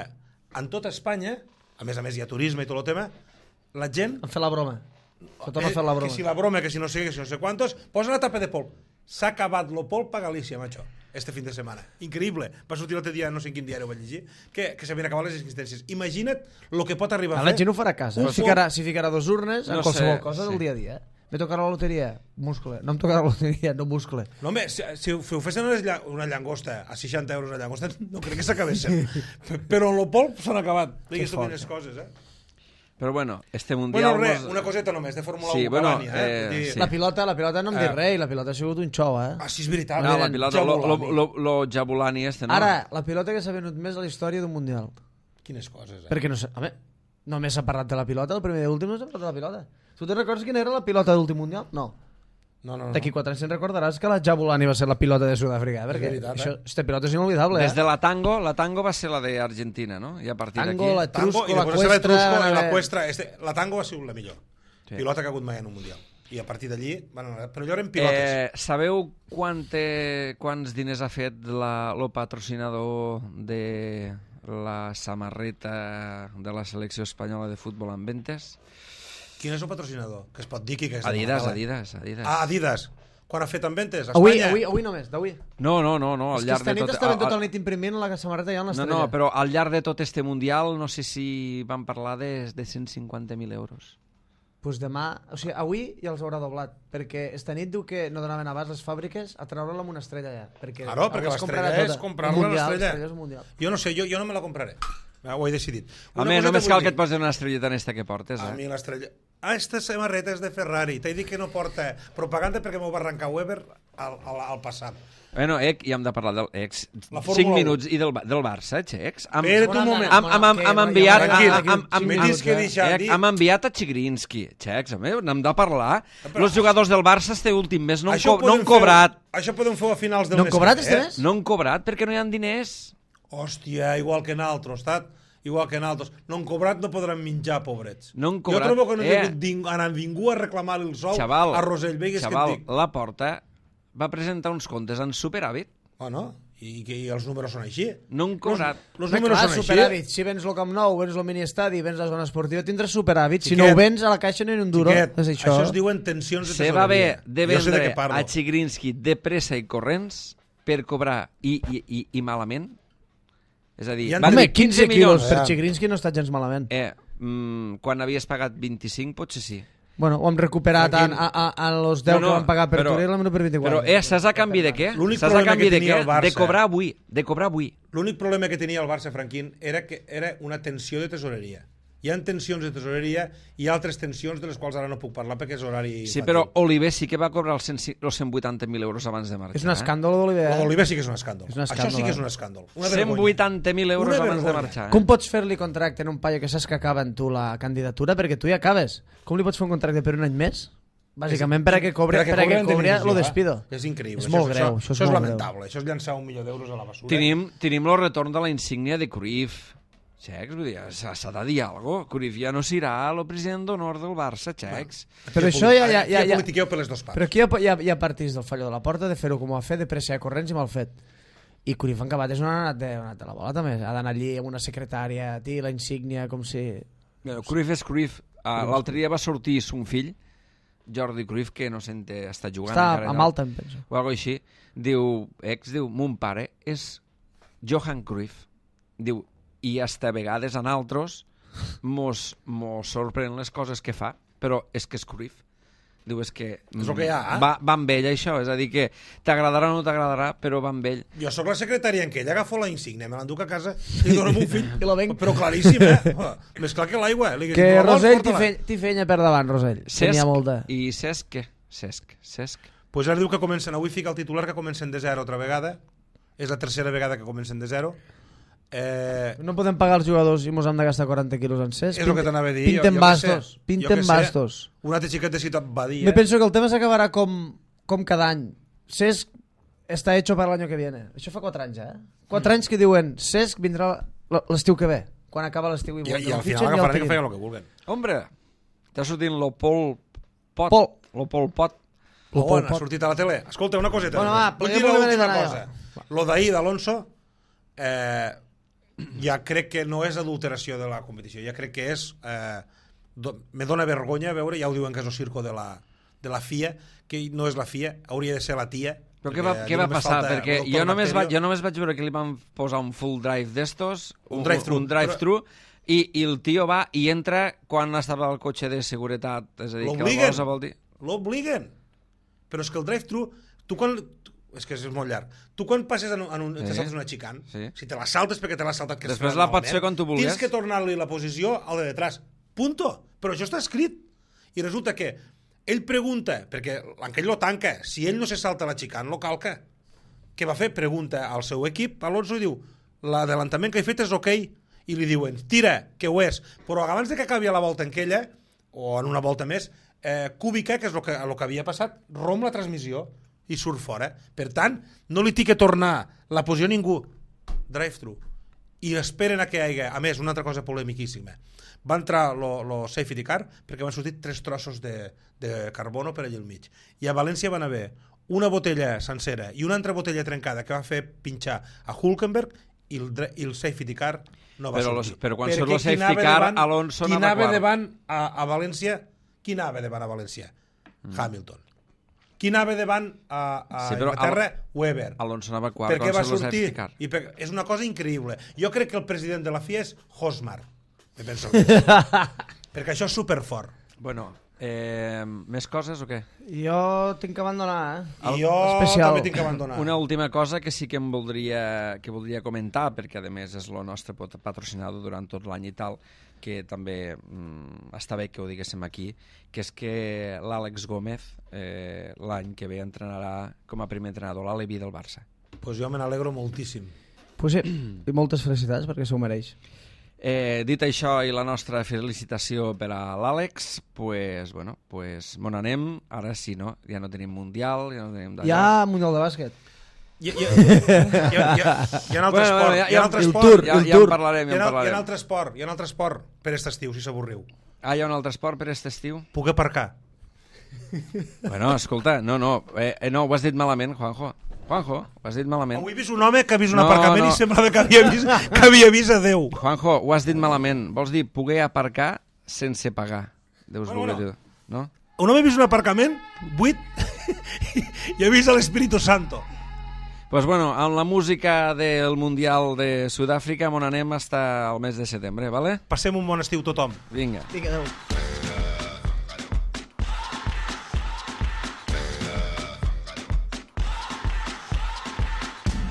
en tota Espanya, a més a més hi ha turisme i tot el tema, la gent... Han fet la broma. Se torna a fer la broma. Que si la broma, que si no sé, que si no sé quantos, posa la tapa de polp. S'ha acabat lo polp a Galícia, macho, este fin de setmana. Increïble. Va sortir l'altre dia, no sé en quin diari ho vaig llegir, que, que s'havien acabat les existències. Imagina't el que pot arribar a La fer. gent ho farà a casa. Un S'hi ficarà, s'hi ficarà dos urnes en No qualsevol sé, cosa sí. del dia a dia. Me tocarà la loteria, muscle. No em tocarà la loteria, no muscle. No, home, si, si ho fessin una, lla- una llangosta a seixanta euros la llangosta, no crec que s'acabessin. Però en lo polp s'han acabat. Digues tu fort, quines coses, eh? Però bueno, este Mundial... Bueno, res, mos- una coseta només, de Fórmula Sí, un, bueno, Cavani, eh? eh, Vull dir- sí. La pilota, la pilota no em Eh. dic res, la pilota ha sigut un xou, eh? Ah, sí, és veritat. No, la pilota, lo, lo, Jabulani. lo, lo Jabulani este, no? Ara, la pilota que s'ha venut més a la història d'un mundial. Quines coses, eh? Perquè no sé... Home, només s'ha parlat de la pilota, el primer i l'últim no s'ha parlat de la pilota. Tu te'n recordes quina era la pilota de l'últim mundial? No. No, no, no. D'aquí quatre anys se'n recordaràs que la Jabulani va ser la pilota de Sud-àfrica, eh? Perquè veritat, eh? això, esta pilota és inolvidable, Des de eh? la tango, la tango va ser la d'Argentina, no? I a partir Tango, d'aquí... la Tango, Trusco, i la després la Cuestra... Trusco i la eh, Cuestra. Este, la Tango ha sigut la millor. Sí. Pilota que ha hagut mai en un mundial. I a partir d'allí van anar... Però allò eren pilotes. Eh, sabeu quant, eh, quants diners ha fet la, lo patrocinador de la samarreta de la selecció espanyola de futbol en ventes? Quin és el patrocinador? Que es pot dir qui que és. Adidas, de la- Adidas, Adidas. Ah, Adidas. Quan ha fet en ventes? A Avui, Espanya? avui, avui només, d'avui. No, no, no, no, al És que llarg esta de nit tot... estaven al- tota la nit imprimint la samarreta ja en No, l'estrella. no, però al llarg de tot este Mundial no sé si van parlar de, de cent cinquanta mil euros. Pues demà, o sigui, avui ja els haurà doblat, perquè esta nit diu que no donaven abast les fàbriques a treure-la amb una estrella ja. Perquè Claro, perquè avui es comprarà l'estrella és tota. comprar-la Un a mundial, l'estrella. l'estrella és un mundial. Jo no sé, jo, jo no me la compraré. Ja, ho he decidit. A Una més, coseta només vull cal dir. que et posis una estrelleta en esta que portes, A eh? mi l'estrella... Ah, esta samarreta és de Ferrari. T'he dit que no porta propaganda perquè m'ho va arrencar Weber al, al, al passat. Bueno, Ec, ja hem de parlar del ex. La Fórmula cinc u. minuts i del, del Barça, Xecs. Amb, Espera't un moment. Hem, hem, hem, hem enviat... Tranquil, hem- hem- hem- me hem- tens que deixar Ec, dir... hem enviat a Chigrinsky. Xecs, home, n'hem de parlar. Els jugadors del Barça este últim mes no han, Això co no podem han cobrat. Fer, això podem fer a finals del No han mes cobrat que ve, este eh? mes? No han cobrat perquè no hi ha diners. Hòstia, igual que en altres, estat. igual que en altres. No han cobrat, no podran menjar, pobrets. No han cobrat. Jo trobo que no eh. ha hagut ding... anar ningú a reclamar-li el sou xaval, a Rosell. Veigues xaval, que et dic. la Porta va presentar uns comptes en superàvit. Oh, no? I, que, i els números són així. No han cobrat. Els Home, números clar, són superàvit. així. Si vens el Camp Nou, vens el mini-estadi, vens la zona esportiva, tindràs superàvit. Si Xiquet, no ho vens, a la caixa no hi ha un duro. Xiquet, És això. això es diuen tensions de Se tesoreria. va haver de Jo sé de vendre què parlo. a Chigrinsky de pressa i corrents per cobrar i, i, i, i malament. És a dir, Hi ha- van Home, dir quinze quilos per Ja. Chigrinsky no està gens malament. Eh, mm, quan havies pagat vint-i-cinc, potser sí. Bueno, ho hem recuperat en, Tranquil. a, a, a los deu No, no, que vam pagar per però- Turir, l'hem per vint-i-quatre. Però eh, saps a canvi de què? L'únic Saps a problema canvi que de tenia què? el Barça- De cobrar avui. De cobrar avui. L'únic problema que tenia el Barça, Franquín, era que era una tensió de tesoreria. Hi ha tensions de tesoreria i altres tensions de les quals ara no puc parlar perquè és horari Sí, infantil. però Oliver sí que va cobrar els cent, els cent vuitanta mil euros abans de marxar. És un escàndol d'Oliver. Eh? L'Oliver sí que és un escàndol. És un Això escàndol, sí que és eh? un escàndol. Una cent vergonya. vuitanta mil euros Una abans de vergonya. marxar. Eh? Com pots fer-li contracte a un paio que saps que acaba en tu la candidatura? Perquè tu ja acabes. Com li pots fer un contracte per un any més? Bàsicament per a que cobri, per a que cobri lo despido. És increïble. És molt això, greu, Això, això és això és molt lamentable. Això és llançar un milió d'euros a la basura. Tenim, tenim el retorn de la insígnia de Cruyff. Xecs, vull dir, s'ha s'ha de dir alguna cosa. Cruyff ja no serà el president d'honor del Barça, xecs. Però això ja... ja, ja, ja, ja politiqueu per les dues parts. però aquí hi ha, hi, ha, hi ha partits del fallo de la porta de fer-ho com ho ha fet, de pressa i corrents i mal fet. I Cruyff en acabat és un anat de, un anat de la bola també. Ha d'anar allí amb una secretària, a ti, la insígnia, com si... Bueno, Cruyff és Cruyff. Uh, L'altre dia va sortir son fill, Jordi Cruyff, que no sé, està jugant Està encara a i tal, Malta, em penso. o alguna així. Diu, ex, diu, mon pare és Johan Cruyff. Diu, i hasta a vegades en altres mos, mos sorprèn les coses que fa, però és que és Cruyff. Diu, és que... És el que hi ha, eh? Va, va amb ell, això. És a dir, que t'agradarà o no t'agradarà, però va amb ell. Jo sóc la secretària en què ella agafo la insígnia, me l'enduc a casa i donem un fill. I la venc. Però claríssim, eh? Oh, més clar que l'aigua. Li Que dic, "No, vols, Rosell porta-la". t'hi fe, t'hi fenya per davant, Rosell. Tenia molta. I Cesc, què? Cesc, Cesc. Pues ara diu que comencen, avui fica el titular que comencen de zero altra vegada. És la tercera vegada que comencen de zero. Eh, No podem pagar els jugadors i mos hem de gastar quaranta quilos en cesc. és el que t'anava a dir. Pinten jo, jo bastos, que sé, pinten jo que sé, bastos. Un altre xiquet de Ciutat Badia. Me penso que el tema s'acabarà com, com cada any. Cesc està hecho para l'any que viene. Això fa quatre anys, eh? Quatre anys que diuen Cesc vindrà l'estiu que ve, quan acaba l'estiu. I, i al final agafaran que feien el que vulguen. Hombre, està sortint lo Pol Pot. Pol. Lo Pol Pot. Lo on ha sortit a la tele? Escolta, una coseta. Bueno, va, Vull pleguem dir una l'última manera cosa. Lo d'ahir d'Alonso, eh, ja crec que no és adulteració de la competició, ja crec que és... Eh, do, me dona vergonya veure, ja ho diuen que és el circo de la, de la F I A, que no és la F I A, hauria de ser la tia. Però què va, què va passar? Perquè jo només, va, jo només vaig veure que li van posar un full drive d'estos, Un drive-thru. un drive-thru, i, i el tio va i entra quan estava al cotxe de seguretat. És a dir, que la L'obliguen, cosa vol dir... l'obliguen. Però és que el drive-thru, tu quan... És que és molt llarg. Tu quan passes en un, en un, Sí. te saltes una xicant, Sí. si te la saltes perquè te l'has saltat... Que es Després fa la pots malament, fer quan tu vulguis. Tens que tornar-li la posició al de detrás. Punto. Però això està escrit. I resulta que ell pregunta, perquè l'enquell lo tanca, si ell no se salta la xicant, lo calca. Què va fer? Pregunta al seu equip, Alonso, i diu, l'adelantament que he fet és ok, i li diuen, tira, que ho és. Però abans de que acabi a la volta en aquella, o en una volta més, eh, Kubica, que és el que, el que havia passat, romp la transmissió i surt fora. Per tant, no li té que tornar la posició a ningú. Drive-thru. I esperen a que hi hagi, a més, una altra cosa polemiquíssima. Va entrar lo, lo safety car perquè van sortir tres trossos de, de carbono per allà al mig. I a València van haver una botella sencera i una altra botella trencada que va fer pinxar a Hülkenberg i el, i el safety car no va Però, sortir. los, però quan Perquè surt el qui safety anava car, davant- Alonso qui anava anava quart. davant a, a València? Qui anava davant a València? Mm. Hamilton. Qui anava davant a, a Sí, però Inglaterra? Al- Weber. Alonso anava quart Perquè quan va surt el sortir safety car. i per, és una cosa increïble. Jo crec que el president de la F I A és Hosmar. Me penso que és. Perquè això és superfort. Bueno, eh, més coses o què? Jo tinc que abandonar, eh? I jo especial. també tinc que abandonar. Una última cosa que sí que em voldria, que voldria comentar, perquè a més és el nostre pot- patrocinador durant tot l'any i tal, que també mm, està bé que ho diguéssim aquí, que és que l'Àlex Gómez eh, l'any que ve entrenarà com a primer entrenador l'Aleví del Barça. Pues jo me n'alegro moltíssim. Pues sí, i moltes felicitats perquè s'ho mereix. Eh, dit això i la nostra felicitació per a l'Àlex, pues, bueno, pues, mon anem, ara sí, no? Ja no tenim Mundial, ja no tenim d'allò. Hi ha Mundial de bàsquet. Hi ha, hi ha, hi ha, hi ha, hi ha un altre Bueno, esport. bueno, ja- Hi ha un altre el esport. tour, Ja, el ja tour. en parlarem, Hi ja ha, en hi ha un parlarem. altre esport, hi ha un altre esport per aquest estiu, si s'avorriu. Ah, hi ha un altre esport per aquest estiu? Puc aparcar. Bueno, escolta, no, no, eh, eh, no, ho has dit malament, Juanjo. Juanjo, ho has dit malament. Avui he vist un home que ha vist un No, aparcament no. i semblava que havia vist, que havia vist a Déu. Juanjo, ho has dit malament. Vols dir poder aparcar sense pagar. Deus Bueno, voler bueno. dir, no? Un home ha vist un aparcament buit i ha vist l'Espíritu Santo. Pues bueno, amb la música del Mundial de Sud-àfrica on anem hasta el mes de setembre, ¿vale? Passem un bon estiu tothom. Vinga. Vinga, adéu.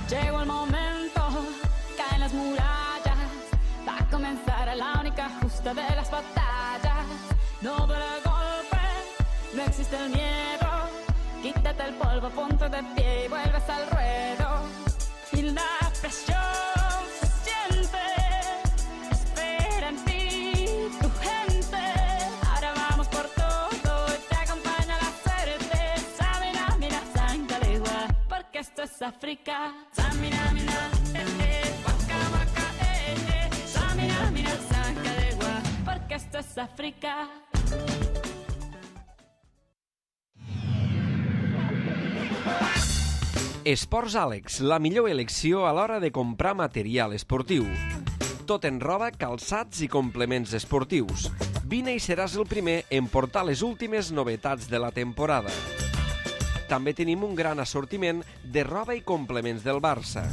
Llegó el momento, caen las murallas, va a comenzar la única justa de las batallas. No duele el golpe, no existe el miedo, quítate el polvo, ponte de pie y vuelves al ruedo. Y la presión se siente, espera en ti tu gente. Ahora vamos por todo y te acompaña la suerte. Samina, mira, Sangalegua, porque esto es África. Samina, mira, eh, eh, waka, waka, eh, eh. Samina, mira, Sangalegua, porque esto es África. Esports Àlex, la millor elecció a l'hora de comprar material esportiu. Tot en roba, calçats i complements esportius. Vine i seràs el primer en portar les últimes novetats de la temporada. També tenim un gran assortiment de roba i complements del Barça.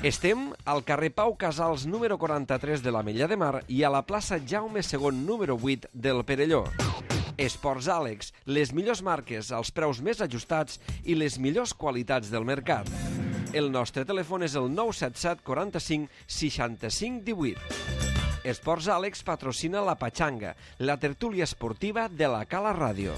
Estem al carrer Pau Casals número quaranta-tres de l'Ametlla de Mar i a la plaça Jaume segon número vuit del Perelló. Esports Àlex, les millors marques, els preus més ajustats i les millors qualitats del mercat. El nostre telèfon és el nou set set quaranta-cinc seixanta-cinc divuit. Esports Àlex patrocina la Patxanga, la tertúlia esportiva de la Cala Ràdio.